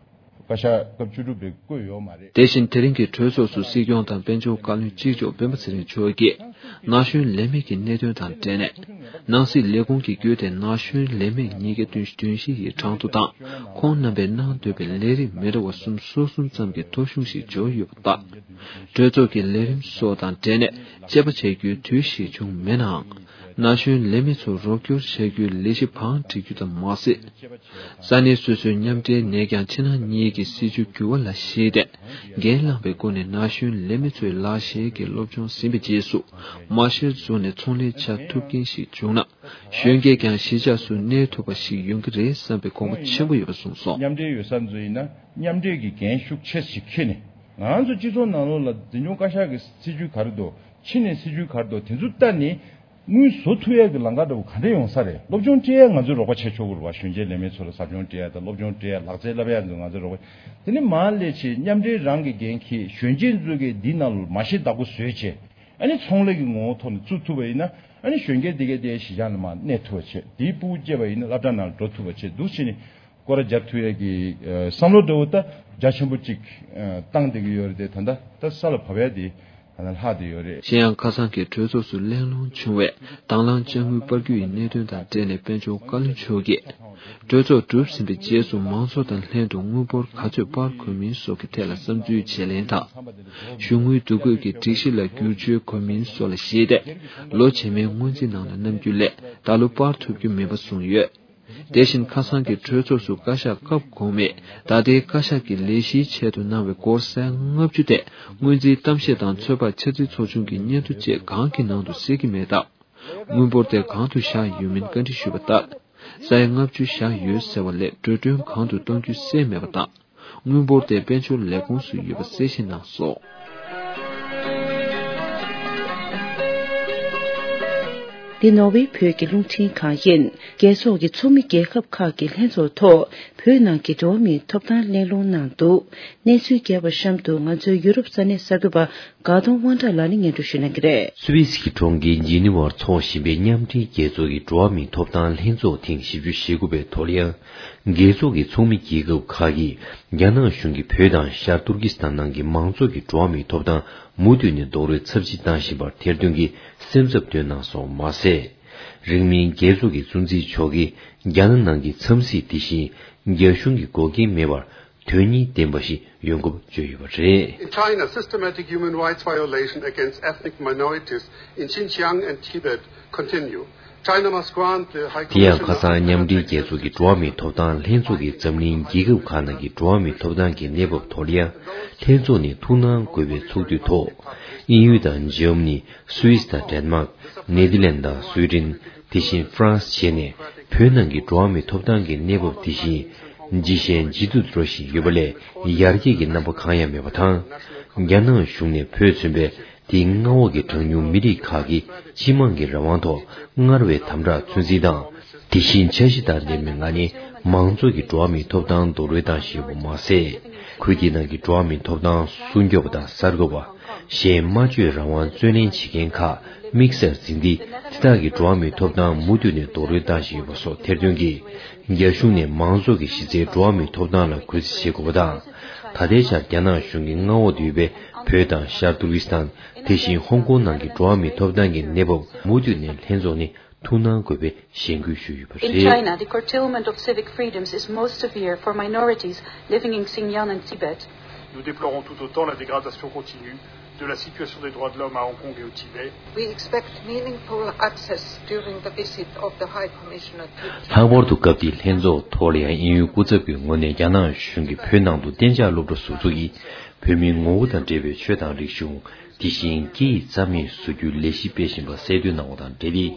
བཀའ་ཤག་སྐབས་བཅུ་དྲུག་པས་བསྐོས་ཡོད་མ་རེད། དེ་བཞིན་དེ་རིང་གི་གྲོས་ཚོགས་སུ་སྲིད་སྐྱོང་དང་དཔལ་འབྱོར་བཀའ་བློན་གཅིག་ལྕོགས་སྤེན་པ་ཚེ་རིང་མཆོག་གིས་ན་གཞོན་ལས་མེད་ཀྱི་གནད་དོན་དང་འབྲེལ་ནས་ནང་སྲིད་ལས་ཁུངས་ཀྱི་བརྒྱུད་དེ་ན་གཞོན་ལས་མེད་ཉིས་བརྒྱ་བདུན་ཅུ་དོན་བཞི་ཡི་གྲངས་ཐོ་དང་ཁོང་རྣམ་པས་གནང་འདོད་པའི་ལས་རིགས་མི་འདྲ་བ་གསུམ་སོ་གསུམ་ཙམ་གྱི་ཐོ་གཞུང་ཞིག་འབྱོར་ཡོད་པ་ལྟར། གྲོས་ཚོགས་ཀྱི་ལས་རིམ་སོགས་དང་འབྲེལ་ནས་དཔྱད་པ་བྱ་རྒྱུའི་དུས་ཤིག་བྱུང་མེད་ནའང་། ན་གཞོན་ལས་མེད་ཚོར་རོགས་སྐྱོར་བྱ་རྒྱུའི་ལས་གཞི་བང་སྒྲིག་རྒྱུ་དང་མ་ཟད། ས་གནས་སོ་སོའི་མཉམ་འབྲེལ་ནས་ཀྱང་ཕྱི་ནང་གཉིས་ཀྱི་སྲིད་ཇུས་འགྱུར་བ་ལ་གཞིགས་ཏེ། འགན་བླངས་པའི་སྒོ་ནས་ན་གཞོན་ལས་མེད་ཚོས་ལག་ཤེས་ཀྱི་སློབ་སྦྱོང་ཟིན་པའི་རྗེས་སུ་མ་ཤེར་བཟོ་ནས་ཚོང་ལས་བྱ་ཐུབ་མཁན་ཞིག་བྱུང་ན། གཞོན་སྐྱེས་ཀྱང་གཞིས་ཆགས་སུ་གནས་ཐུབ་པ་ཞིག་ཡོང་གི་རེད་བསམ་པའི་དགོངས་པ་ཆེན་པོ་ཡོད་པ་གསུངས་སོང་། མཉམ་འབྲེལ་ཡོད་ས་ཚོ་ཡིན་ན་མཉམ་འབྲེལ་གྱི་འགན་ཤུགས་ཆེ་ཞིག་འཁྱེར་ནས་ང་ཚོ་སྤྱི་ཚོགས་ནང་ལོགས་ལ་འཛིན་སྐྱོང་བཀའ་ཤག་གི་སྲིད་ཇུས་ག་རེ་འདུག་ཕྱི་ནས་སྲིད་ཇུས་ག་རེ་འདུག་དེ་ཚོ་ལྟ་ནས། དངུལ་བཟོ་ཐུབ་ཡས་ཀྱི་ལམ་ཁ་འདྲ་བོ་ག་འདྲ་ཡོང་ས་རེད། སློབ་སྦྱོང་སྤྲད་ཡས་ང་ཚོས་རོགས་པ་བྱས་ཆོག་གི་རེད་བ། གཞོན་སྐྱེས་ལས་མེད་ཚོ་ལ་ཟབ་སྦྱོང་སྤྲད་ཡས་དང་སློབ་སྦྱོང་སྤྲད་ཡས་ལག་རྩལ་བསླབ་ཡས་ཚོ་ང་ཚོས་རོགས་པ། དེ་ནས་མར་སླེབས་བྱས་མཉམ་འབྲེལ་རང་གི་འགན་འཁྱེར་གཞོན་སྐྱེས་ཚོ་གིས་འདི་ནང་ལ་མ་ཤེས་བདག་པོ་བཟོས་བྱས་ཨ་ནི་ཚོང་ལས་ཀྱི་ངོ་བོ་ཐོག་ནས་བཙུགས་ཐུབ་པ་ཡིན་ན་ཨ་ནི་གཞོན་སྐྱེས་དེ་གས་དེ་གཞིས་ཆགས་ནང་མར་གནས་ཐུབ་པ་བྱས་དེའི་སྤུ་གུ་སྐྱེས་པ་ཡིན་ན་སློབ་གྲྭ་ནང་ལ་འགྲོ་ཐུབ་པ་བྱས་འདུག་བྱས་ནས། སྐོར་ར་རྒྱབ་ཐུབ་ཡས་ཀྱི་ཨ་བསམ་བློ་འདྲ་བོ་ད་རྒྱ་ཆེན་པོ་གཅིག་ཨ་བཏང་བསྡད་ཀྱི་ཡོད་རེད་དེ་ད་ལྟ་ད་ས་ལ་བབས་ཡས་དེ་ད་ལྟ་ལྷག་བསྡད་ཡོད་རེད། གཞན་ཡང་ཁ་སང་གི་གྲོས་ཚོགས་སུ་གླེང་སློང་བྱུང་བའི་དང་བླངས་དཔྱ་དངུལ་སྤར་རྒྱུ་ཡི་གནད་དོན་དང་འབྲེལ་ནས་དཔལ་འབྱོར་བཀའ་བློན་མཆོག་གིས་གྲོས་ཚོགས་གྲུབ་ཟིན་པའི་རྗེས་སུ་མང་ཚོགས་དང་ལྷན་དུ་དངུལ་འབོར་ག་ཚོད་སྤར་དགོས་མིན་སོགས་ཀྱི་ཐད་ལ་བསམ་ཚུལ་བརྗེ་ལེན་དང་། གཞུང་དངུལ་བསྡུ་དགོས་ཀྱི་སྒྲིག་གཞི་ལ་བསྒྱུར་བཅོས་དགོས་མིན་སོགས་ལ་གཞིགས་ཏེ་ལོ་རྗེས་མའི་སྔོན་རྩིས་ནང་ལ་བསྣམས་རྒྱུ་ལས་ད་ལོ་སྤར་ཐུབ་རྒྱུ་མིན་པ་གསུངས་ཡོད། དེ་བཞིན་ཁ་སང་གི་གྲོས་ཚོགས་སུ་བཀའ་ཤག་སྐབས་གོང་མས་ད་ལྟའི་བཀའ་ཤག་གི་ལས་གཞིའི་ཆེད་དུ་གནང་བའི་སྒོར་ས་ཡ་ལྔ་བཅུ་དེ་སྔོན་རྩིས་གཏམ་བཤད་དང་ཚོད་དཔག་འཆར་རྩིས་ཚོགས་ཆུང་གི་སྙན་ཐོ་བཅས་གང་གི་ནང་དུ་གསལ་གྱི་མེད་སྟབས། དངུལ་འབོར་དེ་གང་དུ་བཞག་ཡོད་མིན་བཀའ་འདྲི་ཞུས་པ་ལྟར། ས་ཡ་ལྔ་བཅུ་བཞག་ཡོད་ཟེར་བ་ལས་འགྲོ་གྲོན་གང་དུ་གཏོང་རྒྱུ་གསལ་མེད་པ་དང་། དངུལ་འབོར་དེ་དཔལ་འབྱོར་ལས་ཁུངས་སུ་ཡོད་པ་གསལ་བཤད་གནང་སོང་། འདི་ནོར་ཝེ་བོད་ཀྱི་རླུང་འཕྲིན་ཁང་ཡིན། རྒྱལ་ཚོགས་ཀྱི་ཚོགས་མི་རྒྱལ་ཁབ་ཁག་གི་ལྷན་ཚོགས་ཐོག་བོད་ནང་གི་འགྲོ་བ་མིའི་ཐོབ་ཐང་གླེང་སློང་གནང་འདུག་གནས་ཚུལ་རྒྱས་པ་གཤམ་དུ་ང་ཚོའི་ཡུ་རོབ་ས་གནས་གསར་འགོད་པ་དགའ་གདོང་དབང་གྲགས་ལགས་ནས་སྙན་སྒྲོན་ཞུ་གནང་གི་རེད། སུད་སི་གི་གྲོང་ཁྱེར་ཇི་ནི་ཝར་འཚོགས་བཞིན་པའི་མཉམ་འབྲེལ་རྒྱལ་ཚོགས་ཀྱི་འགྲོ་བ་མིའི་ཐོབ་ཐང་ལྷན་ཚོགས་ཐེངས་བཞི་བཅུ་ཞེ་དགུ་པའི་ཐོག་ལ་ཡང་། རྒྱལ་ཚོགས་ཀྱི་ཚོགས་མི་རྒྱལ་ཁབ་ཁག་གིས་རྒྱ་ནག་གཞུང་གིས་བོད་དང་ཤར་ཏུར་ཀི་སི་ཐན་ནང་གི་མང་ཚོགས་ཀྱི་འགྲོ་བ་མིའི་ཐོབ་ཐང་མུ་མཐུད་ནས་རྡོག་རོལ་ཚབས་ཆེ་བཏང་བཞིན་པར་ཐེར་འདོན་གྱིས་སེམས་འཚབ་བཏོན་གནང་སོང་མ་ཟད། རིང་མིན་རྒྱལ་ཚོགས་ཀྱི་གཙོ་འཛིན་མཆོག་གིས་རྒྱ་ནག་ནང་གི་འཚམས་གཟིགས་དེ་བཞིན་རྒྱ་གཞུང་གི་འགོག་རྐྱེན་མེད་པར་དོན་སྙིང་ལྡན་པ་ཞིག་ཡོང་སྐོར་བརྗོད་ཡོད་པ་རེད། In China, systematic human rights violation against ethnic minorities in Xinjiang and Tibet continue. China must grant the High Commissioner དེ་ཡང་ཁ་སང་མཉམ་འབྲེལ་རྒྱལ་ཚོགས་ཀྱི་འགྲོ་བ་མིའི་ཐོབ་ཐང་ལྷན་ཚོགས་ཀྱིས་འཛམ་གླིང་རྒྱལ་ཁབ་ཁག་ནང་གི་འགྲོ་བ་མིའི་ཐོབ་ཐང་གི་གནས་བབ་ཐོག་ལ་ཡང་ལྷན་ཚོགས་ནས་ཐུགས་སྣང་དགོས་པའི་ཚོགས་དུས་ཐོག་དབྱིན་ཡུལ་དང་འཇར་མ་ནི། སུད་སི་དང་ཌེན་མཱག་ནེ་དར་ལན་དང་སུའེ་ཌེན། དེ་བཞིན་ཧྥ་རན་སི་བཅས་ནས་བོད་ནང་གི་འགྲོ་བ་མིའི་ཐོབ་ཐང་གི་གནས་བབ་དེ་བཞིན་ཇེ་ཞན་ཇེ་སྡུག་འགྲོ་བཞིན་ཡོད་པ་ལས་ཡར་རྒྱས་ཀྱི་རྣམ་པ་གང་ཡང་མེད་པ་དང་། རྒྱ་ནག་གཞུང་ནས་བོད་མཚོན་པའི་ དེའི་མངའ་འོག་གི་གྲངས་ཉུང་མི་རིགས་ཁག་གིས་སྤྱི་དམངས་ཀྱི་རང་དབང་ཐོག་སྔར་བས་དམ་དྲག་ཚོད་འཛིན་དང་། དེ་བཞིན་འཆར་གཞི་དང་ལྡན་པའི་ངང་ནས་མང་ཚོགས་ཀྱི་འགྲོ་བ་མིའི་ཐོབ་ཐང་རྡོག་རོལ་བཏང་བཞིན་ཡོད་པ་མ་ཟད། ཁུལ་དེའི་ནང་གི་འགྲོ་བ་མིའི་ཐོབ་ཐང་སྲུང་སྐྱོབ་པ་དང་གསར་འགོད་པ། གཞན་སྨྲ་བརྗོད་རང་དབང་རྩོད་ལེན་བྱེད་མཁན་ཁག་དམིགས་བསལ་འཛིན་ཏེ། དེ་དག་གི་འགྲོ་བ་མིའི་ཐོབ་ཐང་མུ་མཐུད་ནས་རྡོག་རོལ་བཏང་བཞིན་ཡོད་པ་སོགས་ཐེར་འདོན་གྱིས། རྒྱ་གཞུང་ནས་མང་ཚོགས་ཀྱི་གཞི་རྩའི་འགྲོ་བ་མིའི་ཐོབ་ཐང་ལ་གུས་བརྩི་བྱེད་དགོས་པ་དང་། ད་ལྟའི་ཆར་རྒྱ་ནག་གཞུང་གི་མངའ་འོག་ཏུ་ཡོད་པའི་བོད་དང་ཤར་ཏུར་ཀི་སི་ཐན། དེ་བཞིན་ཧོང་ཀོང་ནང་གི་འགྲོ་བ་མིའི་ཐོབ་ཐང་གི་གནས་བབ་མུ་མཐུད་ནས་ལྷན་ཚོགས་ནས་ཐུགས་སྣང་དགོས་པའི་གཞེན་སྐུལ་ཞུས་ཡོད་པ། In རེད། China, the curtailment of civic freedoms is most severe for minorities living in Xinjiang and Tibet. Nous déplorons tout autant la dégradation continue de la situation des droits de l'homme à Hong Kong et au Tibet. We expect meaningful access during the visit of the High Commissioner to ལྷག་པར་དུ་སྐབས་དེའི་ལྷན་ཚོགས་ཐོག་ལ་ཡང་དབྱིན་ཡུལ་སྐུ་ཚབ་ཀྱི་ངོས་ནས་རྒྱ་ནག་གཞུང་གིས་བོད་ནང་དུ་གཏན་འཇགས་སློབ་གྲྭ་ཟུར་འཛུགས་ཀྱིས་བོད་མིའི་ངོ་བོ་དང་འབྲེལ་བའི་ཆོས་དང་རིག་གཞུང་། དེ་བཞིན་སྐད་ཡིག་རྩ་མེད་བཟོ་རྒྱུའི་ལས་གཞི་སྤེལ་བཞིན་པ་གསལ་སྟོན་གནང་བ་དང་འབྲེལ་ཏེ།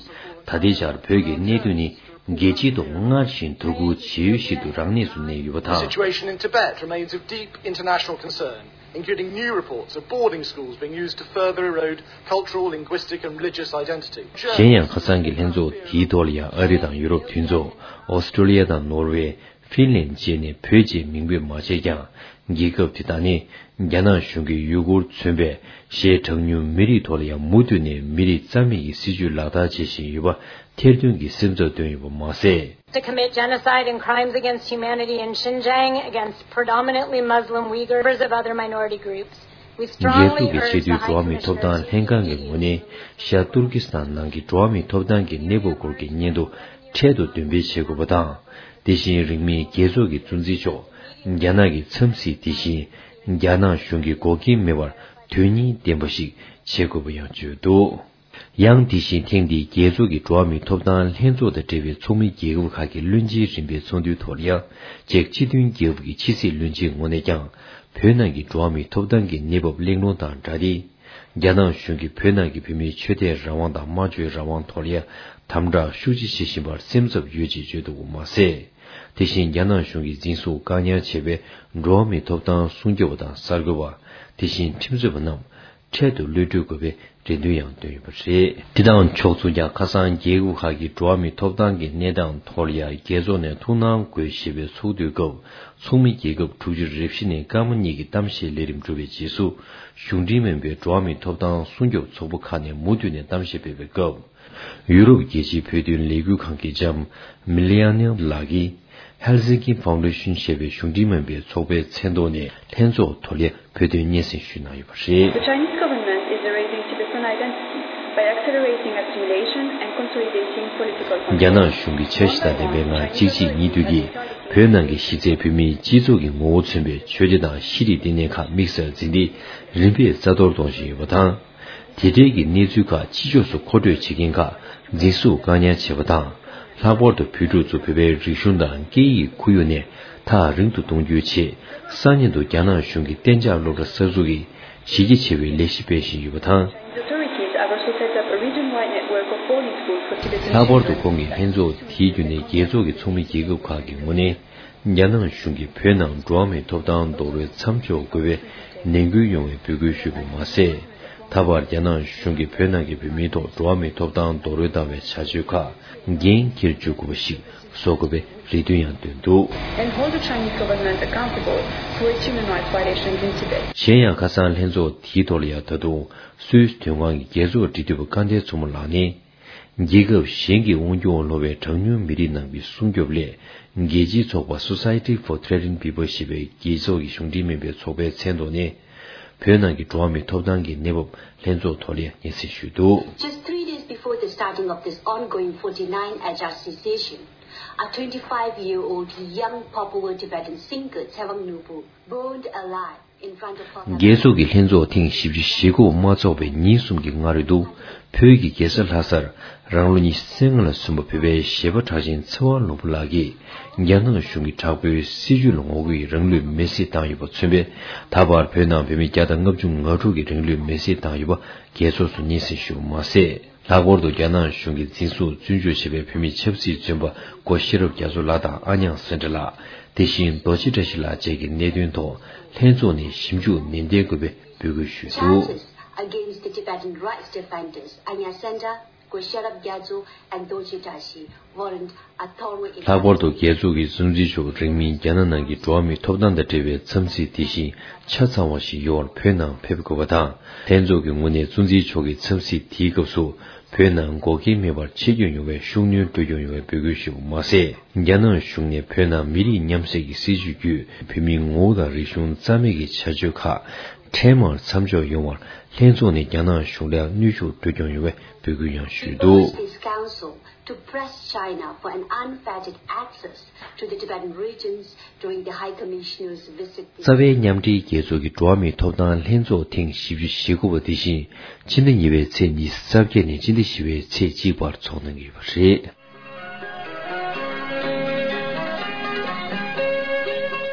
ད་ལྟའི་ཆར་བོད་ཀྱི་གནད་དོན་ནི་རྒྱལ་སྤྱིའི་ཐོག་སྔར་བཞིན་དོ་ཁུར་བྱེད་འོས་ཤིག་ཏུ་རང་གནས་སུ་གནས་ཡོད་པ་དང་། The situation in Tibet remains of deep international concern, including new reports of boarding schools being used to further erode cultural, linguistic and religious identity. གཞན་ཡང་ཁ་སང་གི་ལྷན་ཚོགས་དེའི་ཐོག་ལ་ཡང་ཨ་རི་དང་ཡུ་རོབ་མཐུན་ཚོགས། ཨོ་སི་ཀྲོ་ལི་ཡ་དང་ནོར་ཝེ། ཧྥིན་ལན་བཅས་ནས་བོད་ཅེས་མིང་འབོད་མ་བྱས་ཀྱང་། རྒྱལ་ཁབ་དེ་དག་ནི་རྒྱ་ནག་གཞུང་གིས་ཡུ་གུར་མཚོན་པའི་གཞན་གྲངས་ཉུང་མི་རིགས་ཐོག་ལ་ཡང་མུ་མཐུད་ནས་མི་རིགས་རྩ་མེད་ཀྱི་སྲིད་བྱུས་ལག་བསྟར་བྱེད་བཞིན་ཡོད་པ་ཐེར་འདོན་གྱིས་སེམས་འཚབ་བཏོན་ཡོད་པ་མ་ཟད། To commit genocide and crimes against humanity in Xinjiang against predominantly Muslim Uyghurs, members of other minority groups. རྒྱལ་ཚོགས་ཀྱི་ཆེས་མཐོའི་འགྲོ་བ་མིའི་ཐོབ་ཐང་ལྷན་ཁང་གི་ངོས་ནས་ཤར་ཏུར་ཀི་སི་ཐན་ནང་གི་འགྲོ་བ་མིའི་ཐོབ་ཐང་གི་གནས་བབ་སྐོར་གྱི་སྙན་ཐོ་འཕྲལ་དུ་འདོན་སྤེལ་བྱེད་དགོས་པ་དང་། དེ་བཞིན་རིང་མིན་རྒྱལ་ཚོགས་ཀྱི་གཙོ་འཛིན་མཆོག་རྒྱ་ནག་གི་འཚམས་གཟིགས་དེ་བཞིན་རྒྱ་ནག་གཞུང་གི་འགོག་རྐྱེན་མེད་པར་དོན་སྙིང་ལྡན་པ་ཞིག་བྱེད་དགོས་པ་ཡང་བརྗོད་འདུག། ཡང་དེ་བཞིན་ཐེངས་འདིའི་རྒྱལ་ཚོགས་ཀྱི་འགྲོ་བ་མིའི་ཐོབ་ཐང་ལྷན་ཚོགས་དང་འབྲེལ་བའི་ཚོགས་མི་རྒྱལ་ཁབ་ཁག་གི་བློན་ཆེན་རིམ་པའི་ཚོགས་འདུའི་ཐོག་ལ་ཡང་ཅེཀ་སྤྱི་མཐུན་རྒྱལ་ཁབ་ཀྱི་ཕྱི་སྲིད་བློན་ཆེན་ངོས་ནས་ཀྱང་བོད་ནང་གི་འགྲོ་བ་མིའི་ཐོབ་ཐང་གི་གནས་བབ་གླེང་སློང་དང་སྦྲགས་ཏེ། རྒྱ་ནག་གཞུང་གིས་བོད་ནང་གི་བོད་མིའི་ཆོས་དད་རང་དབང་དང་སྨྲ་བརྗོད་རང་དབང་ཐོག་ལ་ཡང་དམ་དྲག་ཤུགས་ཆེ་བྱེད་བཞིན་པར་སེམས་འཚབ་ཡོད་ཅེས་བརྗོད་འདུག་པ་མ་ཟད། དེ་བཞིན་རྒྱ་ནག་གཞུང་གིས་འཛིན་བཟུང་བཀག་ཉར་བྱས་པའི་འགྲོ་བ་མིའི་ཐོབ་ཐང་སྲུང་སྐྱོབ་པ་དང་གསར་འགོད་པ། དེ་བཞིན་ཁྲིམས་རྩོད་པ་རྣམས་འཕྲལ་དུ་གློད་གྲོལ་དགོས་པའི་རེ་འདུན་ཡང་བཏོན་ཡོད་པ་རེད། དེ་དང་ཕྱོགས་མཚུངས་ཀྱང་ཁ་སང་རྒྱལ་ཁབ་ཁག་གི་འགྲོ་བ་མིའི་ཐོབ་ཐང་གི་གནས་སྟངས་ཐོག་ལ་ཡང་རྒྱལ་ཚོགས་ནས་ཐུགས་སྣང་དགོས་ཞེས་པའི་ཚོགས་འདུའི་སྐབས་ཚོགས་མི་རྒྱལ་ཁབ་དྲུག་ཅུ་རེ་བཞི་ནས་སྐར་མ་གཉིས་ཀྱི་གཏམ་བཤད་ལས་རིམ་གྲུབ་པའི་རྗེས་སུ། གཞུང་འབྲེལ་མིན་པའི་འགྲོ་བ་མིའི་ཐོབ་ཐང་སྲུང་སྐྱོབ་ཚོགས་པ་ཁག་ནས་མུ་མཐུད་ནས་གཏམ་བཤད་སྤེལ་བའི་སྐབས། ཡུ་རོབ་རྒྱལ་སྤྱིའི་བོད་དོན་ལས་འགུལ་ཁང་གི་ལྕམ་མི་ལི་ཡ་ནེ་ལགས་ཀྱིས། Helsinki Foundation ཞེས་པའི་གཞུང་འབྲེལ་མིན་པའི་ཚོགས་པའི་མཚན་ཐོག་ནས་ལྷན་ཚོགས་ཐོག་ལ་བོད་དོན་སྙན་སེང་ཞུས་གནང་ཡོད་པ་རེད། The Chinese government is erasing Tibetan identity by accelerating assimilation and consolidating political control. རྒྱ་ནག་གཞུང་གིས་འཆར་གཞི་དང་ལྡན་པའི་ངང་གཅིག་རྗེས་གཉིས་མཐུད་ཀྱིས་བོད་ནང་གི་གཞི་རྩའི་བོད་མིའི་སྤྱི་ཚོགས་ཀྱི་ངོ་བོ་མཚོན་པའི་ཆོས་སྡེ་དང་ཤེས་རིག་བསྟི་གནས་ཁག་དམིགས་བསལ་འཛིན་ཏེ་རིམ་པས་རྩ་གཏོར་གཏོང་བཞིན་ཡོད་པ་དང་། དེ་འབྲེལ་གྱི་གནས་ཚུལ་ཁག་ཕྱི་ཕྱོགས་སུ་མཁོ་སྤྲོད་བྱེད་མཁན་ཁག་འཛིན་བཟུང་བཀག་ཉར་བྱས་པ་དང་། ལྷག་པར་དུ་བོད་ཕྲུག་ཚོ་བོད་པའི་རིག་གཞུང་དང་སྐད་ཡིག་ཁོར་ཡུག་ནས་ཐག་རིང་དུ་གཏོང་རྒྱུའི་ཆེད། སང་ཉིན་དུ་རྒྱ་ནག་གཞུང་གིས་གཏན་འཇགས་སློབ་གྲྭ་གསར་འཛུགས་ཀྱིས་གཞི་རྒྱ་ཆེ་བའི་ལས་གཞི་སྤེལ་བཞིན་ཡོད་པ་དང་། The authorities have also set up a region-wide network of boarding schools for Tibetan children. ལྷག་པར་དུ་ཁོང་གིས་ལྷན་ཚོགས་དེའི་བརྒྱུད་ནས་རྒྱལ་ཚོགས་ཀྱི་ཚོགས་མི་རྒྱལ་ཁབ་ཁག་གི་ངོས་ནས། རྒྱ་ནག་གཞུང་གིས་བོད་ནང་འགྲོ་བ་མིའི་ཐོབ་ཐང་རྡོག་རོལ་མཚམས་འཇོག་དགོས་པའི་ནན་སྐུལ་ཡོང་བའི་འབོད་སྐུལ་ཞུས་པ་མ་ཟད། ད་བར་རྒྱ་ནག་གཞུང་གིས་བོད་ནང་གི་བོད་མིའི་ཐོག་འགྲོ་བ་མིའི་ཐོབ་ཐང་རྡོག་རོལ་བཏང་བའི་བྱ་སྤྱོད་ཁག་འགན་འཁྱེར་འཇུག་དགོས་པ་ཞིག་བཟོ་དགོས་པའི་རེ་འདུན་ཡང་བཏོན་འདུག། And hold the Chinese government accountable for its human rights violations in Tibet. གཞན་ཡང་ཁ་སང་ལྷན་ཚོགས་དེའི་ཐོག་ལ་ཡང་ད་དུང་སུད་སི་དོན་ཁང་གི་རྒྱལ་ཚོགས་འབྲེལ་མཐུད་པ་སྐལ་ལྡན་མཚོ་མོ་ལགས་ནས། རྒྱལ་ཁབ་གཞན་གྱི་དབང་སྒྱུར་འོག་ལྷུང་བའི་གྲངས་ཉུང་མི་རིགས་རྣམས་ཀྱི་སྲུང་སྐྱོབ་སླད། རྒྱལ་སྤྱིའི་ཚོགས་པ་Society for Tibetan People ཞེས་པའི་རྒྱལ་ཚོགས་ཀྱི་གཞུང་འབྲེལ་མིན་པའི་ཚོགས་པའི་མཚན་ཐོག་ནས། བོད་ནང་གི་འགྲོ་བ་མིའི་ཐོབ་ཐང་གི་གནས་བབ་ལྷན་ཚོགས་ཐོག་ལ་སྙན་སེང་ཞུས་འདུག། Just three days before the starting of this ongoing forty-nine Ajahs session, a twenty-five-year-old young Papuan Tibetan singer, Tsewang Nupu, burned alive. རྒྱལ་ཚོགས་ཀྱི་ལྷན་ཚོགས་ཐེངས་བཞི་བཅུ་ཞེ་དགུ་མ་འཚོགས་པའི་ཉིན་གསུམ་གྱི་སྔ་རོལ་དུ། བོད་ཀྱི་རྒྱལ་ས་ལྷ་སར་རང་ལོ་ཉི་ཤུ་རྩ་ལྔ་ལ་སོན་པ་བོད་པའི་གཞས་པ་གྲགས་ཅན་ཚེ་དབང་ནོར་བུ་ལགས་ཀྱིས། རྒྱ་ནག་གཞུང་གི་དྲག་པོའི་སྲིད་བྱུས་ལ་ངོ་རྒོལ་གྱིས་རང་ལུས་མེར་སྲེག་བཏང་ཡོད་པ་མཚོན་པས། ད་བར་བོད་ནང་བོད་མི་བརྒྱ་དང་ལྔ་བཅུ་ང་དྲུག་གིས་རང་ལུས་མེར་སྲེག་བཏང་ཡོད་པ་རྒྱལ་ཚོགས་སུ་སྙན་སེང་ཞུས་པ་མ་ཟད། ལྷག་པར་དུ་རྒྱ་ནག་གཞུང་གིས་འཛིན་བཟུང་བཙོན་འཇུག་བྱས་པའི་བོད་མི་ཆབ་སྲིད་བཙོན་པ་སྒོ་ཤེས་རབ་རྒྱ་མཚོ་ལགས་དང་ཨ་ཉག་སེང་བྲག་ལགས། དེ་བཞིན་རྡོ་རྗེ་བཀྲ་ཤིས་ལགས་བཅས་ཀྱི་གནད་དོན་ཐོག་ལྷན་ཚོགས་ནས་ཞིབ་འཇུག་ནན་ཏན་དགོས་པའི་འབོད་སྐུལ་ཞུས་འདུག། Justice Against the Tibetan rights defenders, Anya Senda, Gosharab Gyatso, and Dorji Tashi warrant a thorough ལྷག་པར་དུ་རྒྱལ་ཚོགས་ཀྱི་གཙོ་འཛིན་མཆོག་རིང་མིན་རྒྱ་ནག་ནང་གི་འགྲོ་བ་མིའི་ཐོབ་ཐང་དང་འབྲེལ་བའི་འཚམས་གཟིགས་དེ་བཞིན་ཆ་ཚང་བ་ཞིག་ཡོང་བར་བོད་ནང་ཕེབས་དགོས་པ་དང་། ལྷན་ཚོགས་ཀྱི་ངོས་ནས་གཙོ་འཛིན་མཆོག་གི་འཚམས་གཟིགས་དེའི་སྐབས་སུ། བོད་ནང་འགོག་རྐྱེན་མེད་པར་ཆེད་བསྐྱོད་ཡོང་བའི་ཤུགས་སྣོན་སྤྲོད་སྐྱོང་ཡོང་བའི་འབོད་སྐུལ་ཞུས་པ་མ་ཟད། རྒྱ་ནག་གཞུང་ནས་བོད་ནང་མི་རིགས་མཉམ་བསྲེས་ཀྱི་སྲིད་བྱུས་བརྒྱུད་བོད་མིའི་ངོ་བོ་དང་རིག་གཞུང་རྩ་མེད་ཀྱི་བྱ་སྤྱོད་ཁག་འཕྲལ་མར་མཚམས་འཇོག་ཡོང་བར་ལྷན་ཚོགས་ནས་རྒྱ་ནག་གཞུང་ལ་གནོན་ཤུགས་སྤྲོད་སྐྱོང་ཡོང་བའི་འབོད་སྐུལ་ཡང་ཞུས་འདུག། He urged this council to press China for an unfettered access to the Tibetan regions during the High Commissioner's visit this རྩ་བའི་མཉམ་འབྲེལ་རྒྱལ་ཚོགས་ཀྱི་འགྲོ་བ་མིའི་ཐོབ་ཐང་ལྷན་ཚོགས་ཐེངས་བཞི་བཅུ་ཞེ་དགུ་པ་དེ་བཞིན་ཕྱི་ཟླ་གཉིས་པའི་ཚེས་ཉི་ཤུ་རྩ་བརྒྱད་ནས་ཕྱི་ཟླ་བཞི་པའི་ཚེས་གཅིག་བར་འཚོགས་གནང་གི་ཡོད་པ་རེད།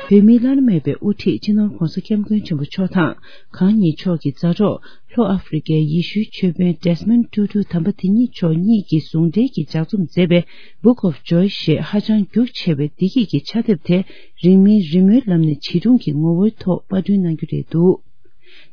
བོད་མིའི་བླ་ན་མེད་པའི་དབུ་ཁྲིད་སྤྱི་ནོར་༧གོང་ས་༧སྐྱབས་མགོན་ཆེན་པོ་མཆོག་དང་གང་ཉིད་མཆོག་གི་མཛའ་གྲོགས་ལྷོ་ཨ་ཧྥེ་རི་ཀའི་ཡེ་ཤུའི་ཆོས་དཔོན་Desmond Tutu དམ་པ་དེ་ཉིད་མཆོག་གཉིས་ཀྱིས་ཟུང་འབྲེལ་གྱིས་ལྗགས་རྩོམ་མཛད་པའི་Book of Joy ཞེས་ཧ་ཅང་རྒྱུགས་ཆེ་བའི་བདེ་སྐྱིད་ཀྱི་ཕྱག་དེབ་དེ་རིང་མིན་རི་མོའི་ལམ་ནས་བྱིས་སྒྲུང་གི་ངོ་བོའི་ཐོག་པར་སྐྲུན་གནང་རྒྱུ་རེད་འདུག།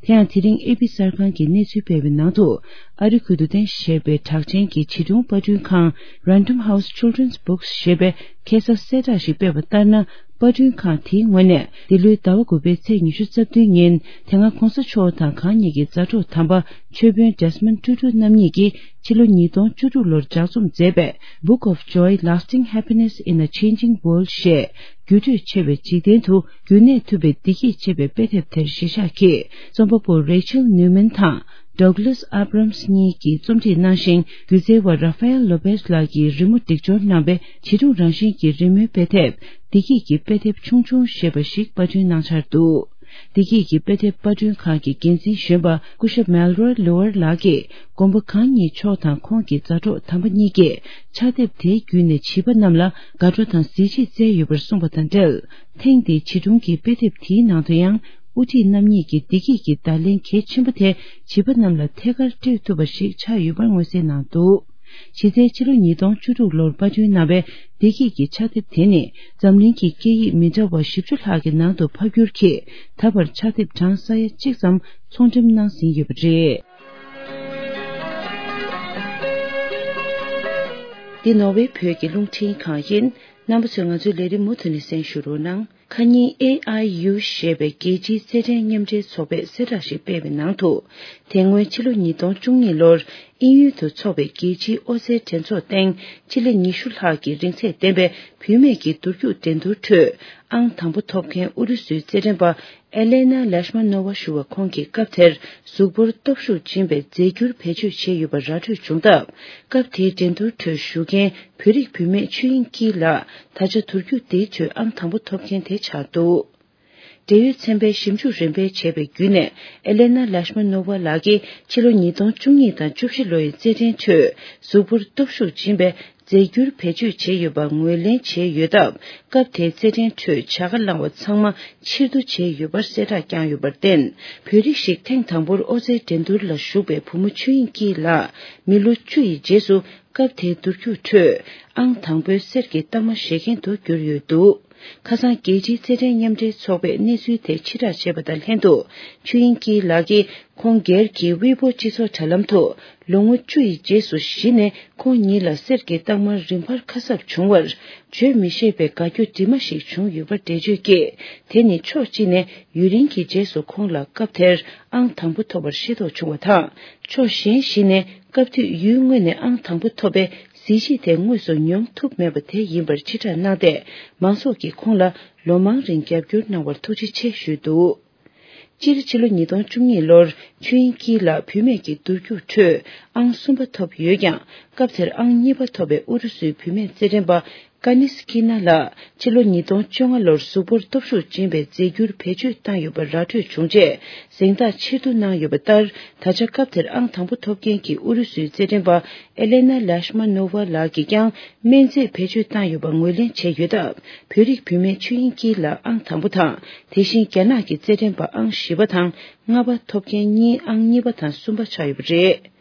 དེ་ཡང་དེ་རིང་ཨེ་པི་གསར་ཁང་གིས་གནས་ཚུལ་སྤེལ་བའི་ནང་དུ། ཨ་རི་ཁུལ་དུ་རྟེན་གཞི་བྱས་པའི་གྲགས་ཅན་གྱི་བྱིས་སྒྲུང་པར་སྐྲུན་ཁང་Random House Children's Books ཞེས་པས་ཁ་སང་གསལ་བསྒྲགས་ཤིག་སྤེལ་བ་ལྟར་ན། པར་སྐྲུན་ཁང་དེའི་ངོས་ནས་འདི་ལོའི་ཟླ་བ་དགུ་པའི་ཚེས་ཉི་ཤུ་རྩ་བདུན་ཉིན་དེ་སྔ་༧གོང་ས་མཆོག་དང་གང་ཉིད་ཀྱི་མཛའ་གྲོགས་དམ་པ་ཆོས་དཔོན་Desmond Tutu རྣམ་གཉིས་ཀྱིས་ཕྱི་ལོ་ཉིས་སྟོང་བཅུ་དྲུག་ལོར་ལྗགས་རྩོམ་མཛད་པའི་Book of Joy, Lasting Happiness in a Changing World ཞེས། འགྱུར་འགྲོས་ཆེ་བའི་འཇིག་རྟེན་དུ་རྒྱུན་གནས་ཐུབ་པའི་བདེ་སྐྱིད་ཅེས་པའི་དཔེ་དེབ་དེར་གཞི་བཞག་གིས་རྩོམ་པ་པོ་Rachel Newman དང་Douglas Abrams གཉིས་ཀྱིས་རྩོམ་སྒྲིག་གནང་ཞིང་། སྒྱུ་རྩལ་བ་Rafael Lopez ལགས་ཀྱིས་རི་མོ་སྒྲིག་སྦྱོར་གནང་བའི་བྱིས་སྒྲུང་རང་བཞིན་གྱི་རི་མོའི་དཔེ་དེབ་བདེ་སྐྱིད་ཀྱི་དཔེ་དེབ་ཆུང་ཆུང་ཞེས་པ་ཞིག་པར་སྐྲུན་གནང་འཆར་འདུག། བདེ་སྐྱིད་ཀྱི་དཔེ་དེབ་པར་སྐྲུན་ཁང་གི་འགན་འཛིན་གཞོན་པ་སྐུ་ཞབས་Melroy Lower ལགས་ཀྱིས་མགོན་པོ་གང་ཉིད་མཆོག་དང་ཁོང་གི་མཛའ་གྲོགས་དམ་པ་གཉིས་ཀྱིས་ཕྱག་དེབ་དེའི་བརྒྱུད་ནས་བྱིས་པ་རྣམས་ལ་དགའ་སྤྲོ་དང་གཟི་བརྗིད་བསྩལ་ཡོད་པར་གསུངས་པ་དང་འབྲེལ། ཐེངས་འདིའི་བྱིས་སྒྲུང་གི་དཔེ་དེབ་དེའི་ནང་དུ་ཡང་དབུ་ཁྲིད་རྣམ་གཉིས་ཀྱི་བདེ་སྐྱིད་ཀྱི་བརྡ་ལན་གལ་ཆེན་པོ་དེ་བྱིས་པ་རྣམས་ལ་ཐད་ཀར་སྤྲོད་ཐུབ་པ་ཞིག་ཆགས་ཡོད་པར་མངོན་གསལ་གནང་འདུག། གཞི་རྩའི་ཕྱི་ལོ་ཉིས་སྟོང་བཅུ་དྲུག་ལོར་པར་སྐྲུན་གནང་བའི་བདེ་སྐྱིད་ཀྱི་ཕྱག་དེབ་དེ་ནི་འཛམ་གླིང་གི་སྐད་ཡིག་མི་འདྲ་བ་བཞི་བཅུ་ལྷག་གི་ནང་དུ་ཕབ་བསྒྱུར་གྱིས་ད་བར་ཕྱག་དེབ་གྲངས་ས་ཡ་གཅིག་ཙམ་ཚོང་འགྲེམས་གནང་ཟིན་ཡོད་པ་རེད། འདི་ནོར་ཝེ་བོད་ཀྱི་རླུང་འཕྲིན་ཁང་ཡིན། རྣམ་པ་ཚོས་ང་ཚོའི་ལས་རིམ་མུ་མཐུད་ནས་གསན་ཞུ་རོགས་གནང་། ཁ་ཉིན་ཨེ་ཨའི་ཡུ་ཞེས་པའི་རྒྱལ་སྤྱིའི་རྩེད་འགྲན་མཉམ་འབྲེལ་ཚོགས་པས་གསལ་བསྒྲགས་ཤིག་སྤེལ་བའི་ནང་དུ། དེ་སྔོན་ཕྱི་ལོ་ཉིས་སྟོང་བཅུ་གཉིས་ལོར་དབྱིན་ཡུལ་དུ་འཚོགས་པའི་རྒྱལ་སྤྱིའི་ཨོ་རྩལ་འགྲན་ཚོགས་སྟེང་ཕྱི་ལེ་ཉི་ཤུ་ལྷག་གི་རིང་ཚད་ལྡན་པའི་བུད་མེད་ཀྱི་འདུར་རྒྱུག་འགྲན་བསྡུར་ཁྲོད་ཨང་དང་པོ་ཐོབ་མཁན་ཨུ་རུ་སུའི་རྩེད་འགྲན་པ་ཨེ་ལེ་ན་ལེཤ་མ་ནོ་ཝ་ཞུ་བ་ཁོང་གིས་སྐབས་དེར་གཟུགས་པོར་སྟོབས་ཤུགས་སྦྱིན་པའི་རྫས་འགྱུར་བེད་སྤྱོད་བྱས་ཡོད་པ་ར་འཕྲོད་བྱུང་སྟབས། སྐབས་དེའི་འགྲན་བསྡུར་ཁྲོད་ཞུགས་མཁན་བོད་རིགས་བུད་མེད་ཆོས་དབྱིངས་སྐྱིད་ལགས་ད་ཆ་འདུར་རྒྱུག་དེའི་ཁྲོད་ཨང་དང་པོ་ཐོབ་མཁན་དེ་ཆགས་འདུག། འབྲེལ་ཡོད་ཚན་པས་ཞིབ་འཇུག་རིམ་པས་བྱས་པའི་བརྒྱུད་ནས། ཨེ་ལེ་ན་ལེཤ་མ་ནོ་ཝ་ལགས་ཀྱིས་ཕྱི་ལོ་ཉིས་སྟོང་བཅུ་གཉིས་དང་བཅུ་བཞི་ལོའི་རྩེད་འགྲན་ཁྲོད་གཟུགས་པོར་སྟོབས་ཤུགས་སྦྱིན་པའི་རྫས་འགྱུར་བེད་སྤྱོད་བྱས་ཡོད་པ་ངོས་ལེན་བྱས་ཡོད་སྟབས། སྐབས་དེའི་རྩེད་འགྲན་ཁྲོད་བྱ་དགའ་བླངས་པ་ཚང་མ་ཕྱིར་བསྡུ་བྱས་ཡོད་པར་གསལ་བསྒྲགས་བསྐྱངས་ཡོད་པར་བརྟེན། བོད་རིགས་ཤིག་ཐེངས་དང་པོར་ཨོ་རྩལ་འགྲན་བསྡུར་ལ་ཞུགས་པའི་བུ་མོ་ཆོས་དབྱིངས་སྐྱིད་ལགས་མི་ལོ་བཅུ་ཡི་རྗེས་སུ། སྐབས་དེའི་འདུར་རྒྱུག་ཁྲོད་ཨང་དང་པོའི་གསེར་གྱི་རྟགས་མ་བཞེས་མཁན་དུ་གྱུར་ཡོད་འདུག། ཁ་སང་རྒྱལ་སྤྱིའི་རྩེད་འགྲན་མཉམ་འབྲེལ་ཚོགས་པས་གནས་ཚུལ་དེ་ཕྱིར་བསྒྲགས་བྱས་པ་དང་ལྷན་དུ། ཆོས་དབྱིངས་སྐྱིད་ལགས་ཀྱིས་ཁོང་སྒེར་གྱི་ཝེ་པོ་སྤྱི་ཚོགས་དྲ་ལམ་དུ། ལོ་ངོ་བཅུ་ཡི་རྗེས་སུ་གཞི་ནས་ཁོང་ཉིད་ལ་གསེར་གྱི་རྟགས་མ་རིམ་འཕར་ཁ་གསབ་བྱུང་བར། བརྗོད་མི་ཤེས་པའི་དགའ་སྐྱོ་དྲི་མ་ཞིག་བྱུང་ཡོད་པ་འགྲེལ་བརྗོད་ཀྱིས། དེ་ནི་ཕྱོགས་གཅིག་ནས་ཡུན་རིང་གི་རྗེས་སུ་ཁོང་ལ་སྐབས་དེར་ཨང་དང་པོ་ཐོབ་པར་ཤེས་རྟོགས་བྱུང་བ་དང་། ཕྱོགས་གཞན་ཞིག་ནས་སྐབས་དུས་ཡུལ་དངོས་ནས་ཨང་དང་པོ་ཐོབ་པའི་གཟི་བརྗིད་དེ་དངོས་སུ་མྱོང་ཐུབ་མེད་པ་དེ་ཡིན་པར་ཕྱིར་བསྒྲགས་གནང་སྟེ། མང་ཚོགས་ཀྱིས་ཁོང་ལ་ལོ་མང་རིང་རྒྱབ་སྐྱོར་གནང་བར་ཐུགས་རྗེ་ཆེ་ཞུས་འདུག། སྤྱིར་ཕྱི་ལོ་ཉིས་སྟོང་བཅུ་གཉིས་ལོར་ཆོས་དབྱིངས་སྐྱིད་ལགས་བུད་མེད་ཀྱི་འདུར་རྒྱུག་ཁྲོད་ཨང་གསུམ་པ་ཐོབ་ཡོད་ཀྱང་། སྐབས་དེར་ཨང་གཉིས་པ་ཐོབ་པའི་ཨུ་རུ་སུའི་བུད་མེད་རྩེད་འགྲན་པ་ཀ་ནི་སི་ཀི་ན་ལགས་ཕྱི་ལོ་ཉིས་སྟོང་བཅོ་ལྔ་ལོར་གཟུགས་པོར་སྟོབས་ཤུགས་སྦྱིན་པའི་རྫས་འགྱུར་བེད་སྤྱོད་བཏང་ཡོད་པ་ར་འཕྲོད་བྱུང་རྗེས། གཟེངས་རྟགས་ཕྱིར་བསྡུ་གནང་ཡོད་པ་ལྟར། ད་ཆ་སྐབས་དེར་ཨང་དང་པོ་ཐོབ་མཁན་གྱི་ཨུ་རུ་སུའི་རྩེད་འགྲན་པ་ཨེ་ལེ་ན་ལེཤ་མ་ནོ་ཝ་ལགས་ཀྱིས་ཀྱང་སྨན་རྫས་བེད་སྤྱོད་བཏང་ཡོད་པ་ངོས་ལེན་བྱས་ཡོད་སྟབས། བོད་རིགས་བུད་མེད་ཆོས་དབྱིངས་སྐྱིད་ལགས་ཨང་དང་པོ་དང་། དེ་བཞིན་རྒྱ་ནག་གི་རྩེད་འགྲན་པ་ཨང་བཞི་པ་དང་ལྔ་པ་ཐོབ་མཁན་གཉིས་ཨང་གཉིས་པ་དང་གསུམ་པ་ཆགས་ཡོད་པ་རེད།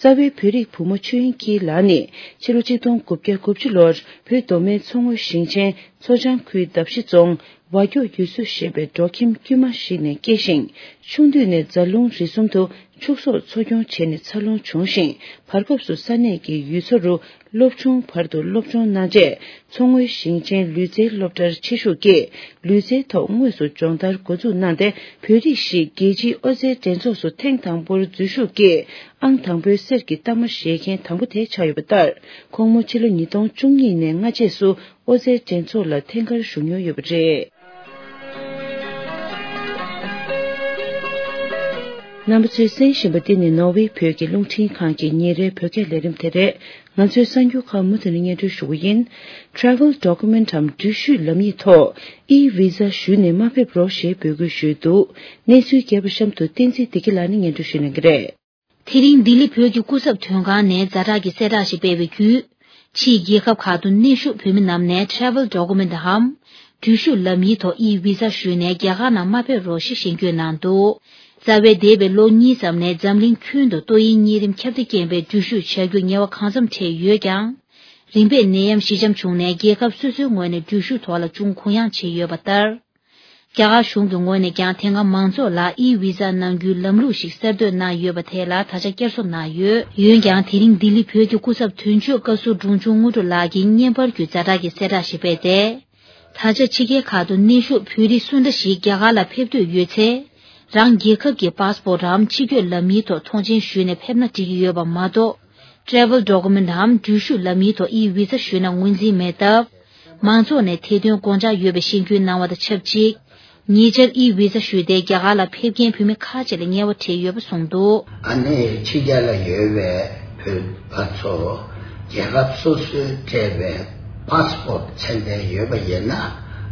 རྩ་བའི་བོད་རིགས་བུ་མོ་ཆོས་དབྱིངས་སྐྱིད་ལགས་ནི་ཕྱི་ལོ་ཆིག་སྟོང་དགུ་བརྒྱ་དགུ་བཅུ་ལོར་བོད་མདོ་སྨད་མཚོ་སྔོན་ཞིང་ཆེན་མཚོ་བྱང་ཁུལ་འདབ་བཞི་རྫོང་བ་སྐྱོག་ཡུལ་ཚོ་ཞེས་པའི་འབྲོག་ཁྱིམ་དཀྱུས་མ་ཞིག་ནས་སྐྱེས་ཤིང་། ཆུང་དུས་ནས་རྫ་ལུང་རི་གསུམ་དུ་ ཕྱུགས་ཟོག་འཚོ་སྐྱོང་བྱས་ནས་འཚར་ལོངས་བྱུང་ཞིང་། བར་སྐབས་སུ་ས་གནས་ཀྱི་ཡུལ་ཚོ་རུ་སློབ་ཆུང་བར་དུ་སློབ་སྦྱོང་གནང་རྗེས། མཚོ་སྔོན་ཞིང་ཆེན་ལུས་རྩལ་སློབ་གྲྭར་ཆེད་ཞུགས་ཀྱིས། ལུས་རྩལ་ཐོག་དངོས་སུ་སྦྱོང་བརྡར་འགོ་འཛུགས་གནང་སྟེ། བོད་རིགས་ཤིག་རྒྱལ་སྤྱིའི་ཨོ་རྩལ་འགྲན་ཚོགས་སུ་ཐེངས་དང་པོར་འཛུལ་ཞུགས་ཀྱིས། ཨང་དང་པོའི་གསེར་གྱི་རྟགས་མ་བཞེས་མཁན་དང་པོ་དེ་ཆགས་ཡོད་པ་ལྟར། ཁོང་མོ་ཕྱི་ལོ་ཉིས་སྟོང་བཅུ་གཉིས་ནས་སྔ་རྗེས་སུ་ཨོ་རྩལ་འགྲན་ཚོགས་ལ་ཐེངས་འགར་ཞུགས་མྱོང་ཡོད་པ་རེད། རྣམ་པ་ཚོས་གསན་བཞིན་པ་འདི་ནི་ནོར་ཝེ་བོད་ཀྱི་རླུང་འཕྲིན་ཁང་གི་ཉིན་རེའི་བོད་སྐད་ལས་རིམ་དེ་རེད། ང་ཚོའི་གསར་འགྱུར་ཁག་མུ་མཐུད་ནས་སྙན་སྒྲོན་ཞུ་གི་ཡིན། Travel Document འམ་འགྲུལ་བཞུད་ལམ་ཡིག་ཐོག་E-Visa ཞུས་ནས་མ་ཕེབས་རོགས་ཞེས་འབོད་སྐུལ་ཞུས་འདུག་གནས་ཚུལ་རྒྱས་པ་གཤམ་དུ་བསྟན་འཛིན་བདེ་སྐྱིད་ལགས་ནས་སྙན་སྒྲོན་ཞུ་གནང་གི་རེད། དེ་རིང་ལྡི་ལི་བོད་ཀྱི་སྐུ་ཚབ་དོན་ཁང་ནས་ཛ་དྲག་གི་གསལ་བསྒྲགས་ཤིག་སྤེལ་བའི་བརྒྱུད། ཕྱིའི་རྒྱལ་ཁབ་ཁག་ཏུ་གནས་བཞུགས་བོད་མི་རྣམས་ནས་Travel Document འམ་འགྲུལ་བཞུད་ལམ་ཡིག་ཐོག་E-Visa ཞུས་ནས་རྒྱ་གར་ནང་མ་ཕེབས་རོགས་ཞེས་ཞེན་སྐུལ་གནང་འདུག་རྩ་བའི་འདས་པའི་ལོ་གཉིས་ཙམ་ནས་འཛམ་གླིང་ཁྱོན་དུ་ཏོག་དབྱིབས་གཉན་རིམས་ཁྱབ་གདལ་རྐྱེན་པས་འགྲུལ་བཞུད་བྱ་རྒྱུར་ཉེ་བ་གང་འཚམ་འཕྲད་ཡོད་ཀྱང་། རིམ་པས་ནད་ཡམས་ཞི་འཇམ་བྱུང་ནས་རྒྱལ་ཁབ་སོ་སོའི་ངོས་ནས་འགྲུལ་བཞུད་ཐོག་ལ་ཅུང་གུ་ཡངས་བྱས་ཡོད་པ་ལྟར། རྒྱ་གར་གཞུང་གི་ངོས་ནས་ཀྱང་དེ་སྔ་མང་ཚོགས་ལ་E-Visa གནང་རྒྱུའི་ལམ་ལུགས་ཤིག་གསར་གཏོད་གནང་ཡོད་པ་དེ་ལ་ད་ཆ་བསྐྱར་གསོ་གནང་ཡོད། འོན་ཀྱང་དེ་རིང་ལྡི་ལི་བོད་ཀྱི་སྐུ་ཚབ་དོན་གཅོད་བཀའ་ཟུར་འབྲོང་ཆུང་དངོས་གྲུབ་ལགས་ཀྱིས་བརྙན་པར་བརྒྱུད་ཛ་དྲག་གི་གསལ་བསྒྲགས་ཤིག་སྤེལ་ཏེ། ད་ཆ་ཕྱི་རྒྱལ་ཁག་ཏུ་གནས་བཞུགས་བོད་རིགས་སུ་འདྲ་ཞིག་རྒྱ་གར་ལ་ཕེབས་འདོད་ཡོད་ཚེ། རང་རྒྱལ་ཁབ་ཀྱི་པཱ་སི་པོར་ཊི་འམ་ཕྱི་སྐྱོད་ལམ་ཡིག་ཐོག་ཐོངས་མཆན་ཞུས་ནས་ཕེབས་ན་འགྲིག་གི་ཡོད་པ་མ་གཏོགས། Travel Document འམ་འགྲུལ་བཞུད་ལམ་ཡིག་ཐོག་E-Visa ཞུས་ན་ངོས་འཛིན་མེད་སྟབས། མང་ཚོགས་ནས་ཐེར་འདོན་དགོངས་འཇགས་ཡོད་པའི་ཞེན་སྐུལ་གནང་བ་དང་ཆབས་ཅིག་ཉེ་ཆར་E-Visa ཞུས་ཏེ་རྒྱ་གར་ལ་ཕེབས་མཁན་བོད་མི་ཁག་ཅིག་ལ་ཉེས་པ་འཕྲད་ཡོད་པ་གསུངས་འདུག་ཨ་ནེ་ཕྱི་རྒྱལ་ལ་ཡོད་པའི་བོད་པ་ཚོ་རྒྱལ་ཁབ་སོ་སོའི་སྤྲད་པའི་པཱ་སི་པོར་ཊི་ཚད་ལྡན་ཡོད་པ་ཡིན་ན།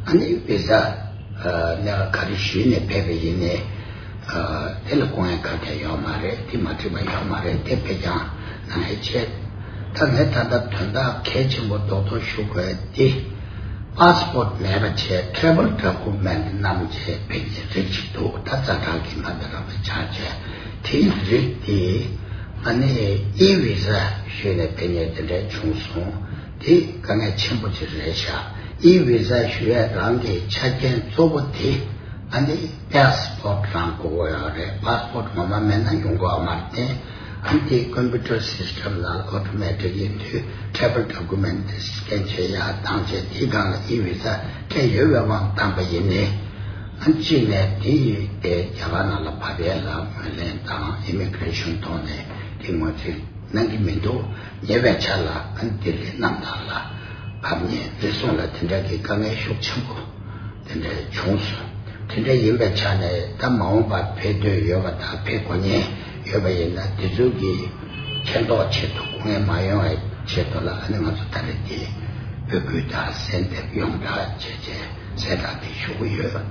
ཨ་ནེ་བི་ཟ་ལས་ཀ་ག་རེ་ཞུས་ནས་ཕེབས་པ་ཡིན་ནའི། དེ་ལ་དཀའ་ངལ་གང་ཡང་ཡོད་མ་རེད། དེ་མ་འགྲིག་པ་ཡོད་མ་རེད། དེ་ཕེབས་ཀྱང་ནང་ཧེ་ཆེ། ད་ངས་ད་ལྟ་དོན་དག་གལ་ཆེན་པོ་རྡོག་རྡོག་ཞུ་དགོས་དེ། པཱ་སི་པོར་ཊི་མེད་པ་བྱས་ཊེ་རེ་ཝལ་ཌོ་ཀུ་མེན་ཊི་བསྣམས་བྱས་ཕེབས་ཀྱི་རིགས་ཅིག་འདུག་ད་ཛ་དྲག་གི་མ་འདི་རང་ལ་ཆགས་བྱས་དེའི་རིགས་དེ་ཨ་ནི་ཨི་བི་ཟ་ཞུས་ནས་ཕེབས་མཁན་དེ་འདྲ་བྱུང་སོང་། དེ་དཀའ་ངལ་ཆེན་པོ་ཅིག་རེད་ཤག་ཨི་བི་ཟ་ཞུ་ཡས་རང་གི་ཆ་རྐྱེན་གཙོ་བོ་དེ་ཨ་ནི་པཱ་སི་པོར་ཊི་རང་དགོས་ཀྱི་ཡོད་རེད། པཱ་སི་པོར་ཊི་ངོ་མ་མེད་ན་ཡོང་གི་ཡོད་མ་རེད་དེ། ཨ་ནི་དེ་ཀམ་པུ་ཊར་སིས་ཊམ་ནང་ཨོ་ཊོ་མེ་ཊིག་ཡིན་དུས་ཊེ་རེ་ཝལ་ཌོ་ཀུ་མེན་ཊི་སི་ཀེན་བྱེད་ཡ་བཏང་བྱས་དེའི་སྒང་ལ་ཨི་བི་ཟ་སྤྲད་ཡོད་པའི་དབང་བཏང་པ་ཡིན་ནའི། ཨ་ནི་གཅིག་ནས་དེ་ཡི་དེ་རྒྱ་གར་ནང་ལ་བབས་ཡས་ལ་ངོས་ལེན་དང་ཨི་མི་གི་རེ་ཤོན་ཐོག་ནས་དེ་ངོས་འཛིན་གནང་གི་མི་འདུག་ཉེ་བའི་ཆར་ལ་ཨ་ནི་ལྡི་ལི་གནམ་ཐང་ལ་བབས་ནས་རེ་ཟུང་ལ་དེ་འདྲ་གི་དཀའ་ངལ་ཤུགས་ཆེན་པོ་དེ་འདྲ་བྱུང་སོང་། དེ་འདྲ་ཡིན་པའི་ཆ་ནས་ད་མ་འོངས་པར་ཕེབས་འདོད་ཡོད་པ་དང་ཕེབས་དགོས་ཉེན་ཡོད་པ་ཡིན་ན་དེ་ཚོ་གི་མཁྱེན་རྟོགས་ཆེད་དུ་སྐུ་ངལ་མ་ཡོང་བའི་ཆེད་དུ་ལ་ཨ་ནི་ང་ཚོ་ད་རེས་དེ་འབོད་སྐུལ་དང་གསལ་འདེབས་ཡོངས་གྲགས་བྱས་རྗེས་གསལ་བསྒྲགས་དེ་ཞུ་གི་ཡོད།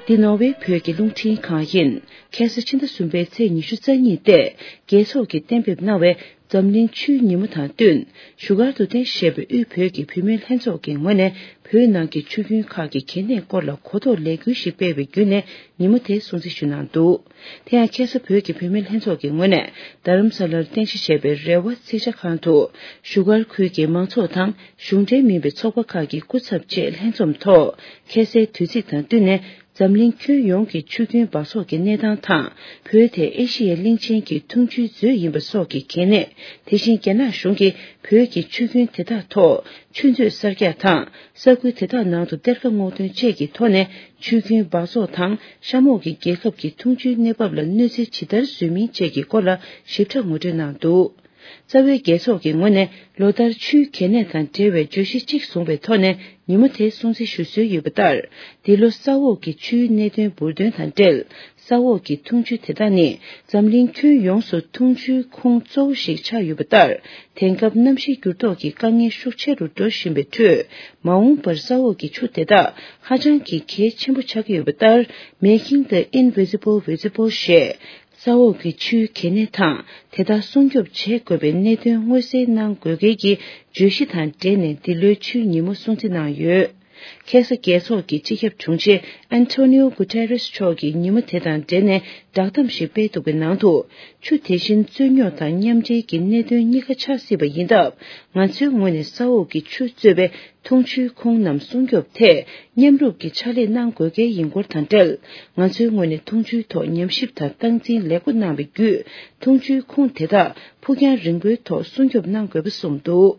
འདི་ནོར་ཝེ་བོད་ཀྱི་རླུང་འཕྲིན་ཁང་ཡིན། ཁ་སང་ཕྱི་ཟླ་གསུམ་པའི་ཚེས་ཉི་ཤུ་རྩ་གཉིས་སྟེ། རྒྱལ་ཚོགས་ཀྱིས་གཏན་འབེབས་གནང་བའི་འཛམ་གླིང་ཆུའི་ཉིན་མོ་དང་བསྟུན། བཞུགས་སྒར་དུ་རྟེན་གཞི་བྱས་པའི་དབུས་བོད་ཀྱི་བུད་མེད་ལྷན་ཚོགས་ཀྱི་ངོས་ནས་བོད་ནང་གི་ཆུ་རྒྱུན་ཁག་གི་གལ་གནད་སྐོར་ལ་གོ་རྟོགས་ལས་འགུལ་ཞིག་སྤེལ་བའི་བརྒྱུད་ནས་ཉིན་མོ་དེ་སྲུང་བརྩི་ཞུས་གནང་འདུག་དེ་ཡང་ཁ་སང་བོད་ཀྱི་བུད་མེད་ལྷན་ཚོགས་ཀྱི་ངོས་ནས་རྡ་རམ་ས་ལར་རྟེན་གཞི་བྱས་པའི་རེ་བ་རྩིས་ཆ་ཁང་དུ། བཞུགས་སྒར་ཁུལ་གྱི་མང་ཚོགས་དང་གཞུང་འབྲེལ་མིན་པའི་ཚོགས་པ་ཁག་གི་སྐུ་ཚབ་བཅས་ལྷན་འཛོམས་ཐོག་ཁ་སའི་དུས་ཚིགས་དང་བསྟུན་ནས། འཛམ་གླིང་ཁྱོན་ཡོངས་ཀྱི་ཆུ་རྒྱུན་འབག་བཙོག་གི་གནས་སྟངས་དང་། བོད་དེ་ཨེ་ཤི་ཡའི་གླིང་ཆེན་གྱི་འཐུང་ཆུའི་མཛོད་ཡིན་པ་སོགས་ཀྱི་གལ་གནད། དེ་བཞིན་རྒྱ་ནག་གཞུང་གིས་བོད་ཀྱི་ཆུ་རྒྱུན་དེ་དག་ཐོག་ཆུ་མཛོད་གསར་རྒྱག་དང་། ས་ཁུལ་དེ་དག་ནང་དུ་གཏེར་ཁ་སྔོག་འདོན་བཅས་ཀྱི་ཐོག་ནས་ཆུ་རྒྱུན་འབག་བཙོག་དང་། གཤམ་འོག་གི་རྒྱལ་ཁབ་ཀྱི་འཐུང་ཆུའི་གནས་བབ་ལ་གནོད་འཚེ་ཇི་ལྟར་བཟོས་མིན་བཅས་ཀྱི་སྐོར་ལ་ཞིབ་ཕྲ་ངོ་སྤྲོད་གནང་འདུག་རྩ་བའི་རྒྱལ་ཚོགས་ཀྱི་ངོས་ནས་ལོ་ལྟར་ཆུའི་གལ་གནད་དང་འབྲེལ་བའི་བརྗོད་གཞི་གཅིག་བཟུང་བའི་ཐོག་ནས་ཉིན་མོ་དེ་སྲུང་བརྩི་ཞུ་སྲོལ་ཡོད་པ་ལྟར། འདི་ལོ་ས་འོག་གི་ཆུའི་གནད་དོན་འབུར་འདོན་དང་འབྲེལ། ས་འོག་གི་འཐུང་ཆུ་དེ་དག་ནི་འཛམ་གླིང་ཁྱོན་ཡོངས་སུ་འཐུང་ཆུའི་ཁུངས་གཙོ་བོ་ཞིག་ཆགས་ཡོད་པ་ལྟར། དེང་སྐབས་གནམ་གཤིས་འགྱུར་ལྡོག་གི་དཀའ་ངལ་ཤུགས་ཆེ་རུ་འགྲོ་བཞིན་པའི་ཁྲོད། མ་འོངས་པར་ས་འོག་གི་ཆུ་དེ་དག་ཧ་ཅང་གི་གལ་ཆེན་པོ་ཆགས་ཀྱི་ཡོད་པ་ལྟར། Making the Invisible Visible ཞེས། ས་འོག་གི་ཆུའི་གལ་གནད་དང་། དེ་དག་སྲུང་སྐྱོབ་བྱེད་དགོས་པའི་གནད་དོན་མངོན་གསལ་གནང་དགོས་གལ་གྱི་བརྗོད་གཞི་དང་འབྲེལ་ནས་འདི་ལོའི་ཆུའི་ཉིན་མོ་སྲུང་བརྩི་གནང་ཡོད། ཁ་སང་རྒྱལ་ཚོགས་ཀྱི་སྤྱི་ཁྱབ་དྲུང་ཆེ་ཨན་ཐོ་ནིའོ་གུ་ཏེ་རེས་མཆོག་གིས་ཉིན་མོ་དེ་དང་འབྲེལ་ནས་བསྒྲགས་གཏམ་ཞིག་སྤེལ་འདུག་པའི་ནང་དུ། ཆུ་དེ་བཞིན་རྩོད་རྙོག་དང་མཉམ་འབྲེལ་གྱི་གནད་དོན་གཉིས་ཀ་ཆགས་སྲིད་པ་ཡིན་སྟབས། ང་ཚོའི་ངོས་ནས་ས་འོག་གི་ཆུ་གཙོས་པའི་འཐུང་ཆུའི་ཁུངས་རྣམས་སྲུང་སྐྱོབ་ཐད་མཉམ་རུབ་ཀྱི་ཕྱག་ལས་གནང་དགོས་གལ་ཡིན་སྐོར་དང་འབྲེལ། ང་ཚོའི་ངོས་ནས་འཐུང་ཆུའི་ཐོག་ཉམས་ཞིབ་དང་སྟངས་འཛིན་ལེགས་པོ་གནང་བའི་བརྒྱུད། འཐུང་ཆུའི་ཁུངས་དེ་དག་ཕུགས་རྒྱང་རིང་པོའི་ཐོག་སྲུང་སྐྱོབ་གནང་དགོས་པ་གསུངས་འདུག་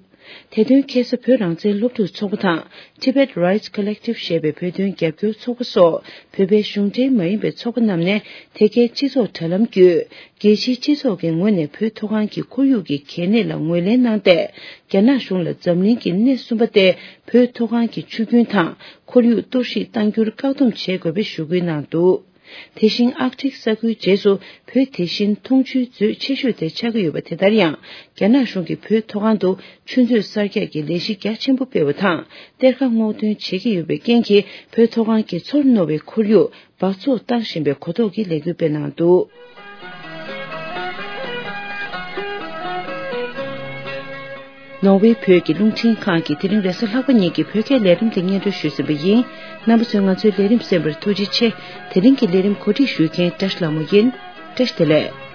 དེ་དོན་ཁ་སང་བོད་རང་བཙན་སློབ་ཕྲུག་ཚོགས་པ་དང་། Tibet Rights Collective ཞེས་པའི་བོད་དོན་རྒྱབ་སྐྱོར་ཚོགས་པ་སོགས་བོད་པའི་གཞུང་འབྲེལ་མ་ཡིན་པའི་ཚོགས་པ་རྣམས་ནས། དེ་གའི་སྤྱི་ཚོགས་དྲ་ལམ་བརྒྱུད། རྒྱལ་སྤྱིའི་སྤྱི་ཚོགས་ཀྱི་ངོས་ནས་བོད་མཐོ་སྒང་གི་ཁོར་ཡུག་གི་གལ་གནད་ལ་ངོས་ལེན་གནང་སྟེ། རྒྱ་ནག་གཞུང་ལ་འཛམ་གླིང་གི་སྣེ་གསུམ་པ་སྟེ། བོད་མཐོ་སྒང་གི་ཆུ་རྒྱུན་དང་ཁོར་ཡུག་གཏོར་བཤིག་གཏང་རྒྱུར་བཀག་སྡོམ་བྱེད་དགོས་པའི་ཞུ་སྐུལ་གནང་འདུག་དེ་བཞིན་ཨར་ཀ་ཊིག་ས་ཁུལ་རྗེས་སུ་བོད་དེ་བཞིན་འཐུང་ཆུའི་མཛོད་ཆེ་ཤོས་དེ་ཆགས་ཀྱི་ཡོད་པ་དེ་ལྟར་ཡང་། རྒྱ་ནག་གཞུང་གིས་བོད་མཐོ་སྒང་དུ་ཆུ་མཛོད་གསར་རྒྱག་གི་ལས་གཞི་རྒྱ་ཆེན་པོ་སྤེལ་བ་དང་། གཏེར་ཁ་སྔོག་འདོན་བྱེད་ཀྱི་ཡོད་པའི་རྐྱེན་གྱིས། བོད་མཐོ་སྒང་གི་ཚོར་རྣོ་བའི་ཁོར་ཡུག་འབག་བཙོག་བཏང་བཞིན་པའི་གོ་རྟོགས་ཀྱི་ལས་འགུལ་སྤེལ་གནང་འདུག་ནོར་ཝེ་བོད་ཀྱི་རླུང་འཕྲིན་ཁང་གིས་དེ་རིང་རེས་གཟའ་ལྷག་པ་ཉིན་གྱི་བོད་སྐད་ལས་རིམ་དེ་སྙན་སྒྲོན་ཞུས་ཟིན་པ་ཡིན། རྣམ་པ་ཚོས་ང་ཚོའི་ལས་རིམ་གསན་པར་ཐུགས་རྗེ་ཆེ། དེ་རིང་གི་ལས་རིམ་གོ་སྒྲིག་ཞུ་མཁན་བཀྲ་ཤིས་ལྷ་མོ་ཡིན། བཀྲ་ཤིས་བདེ་ལེགས།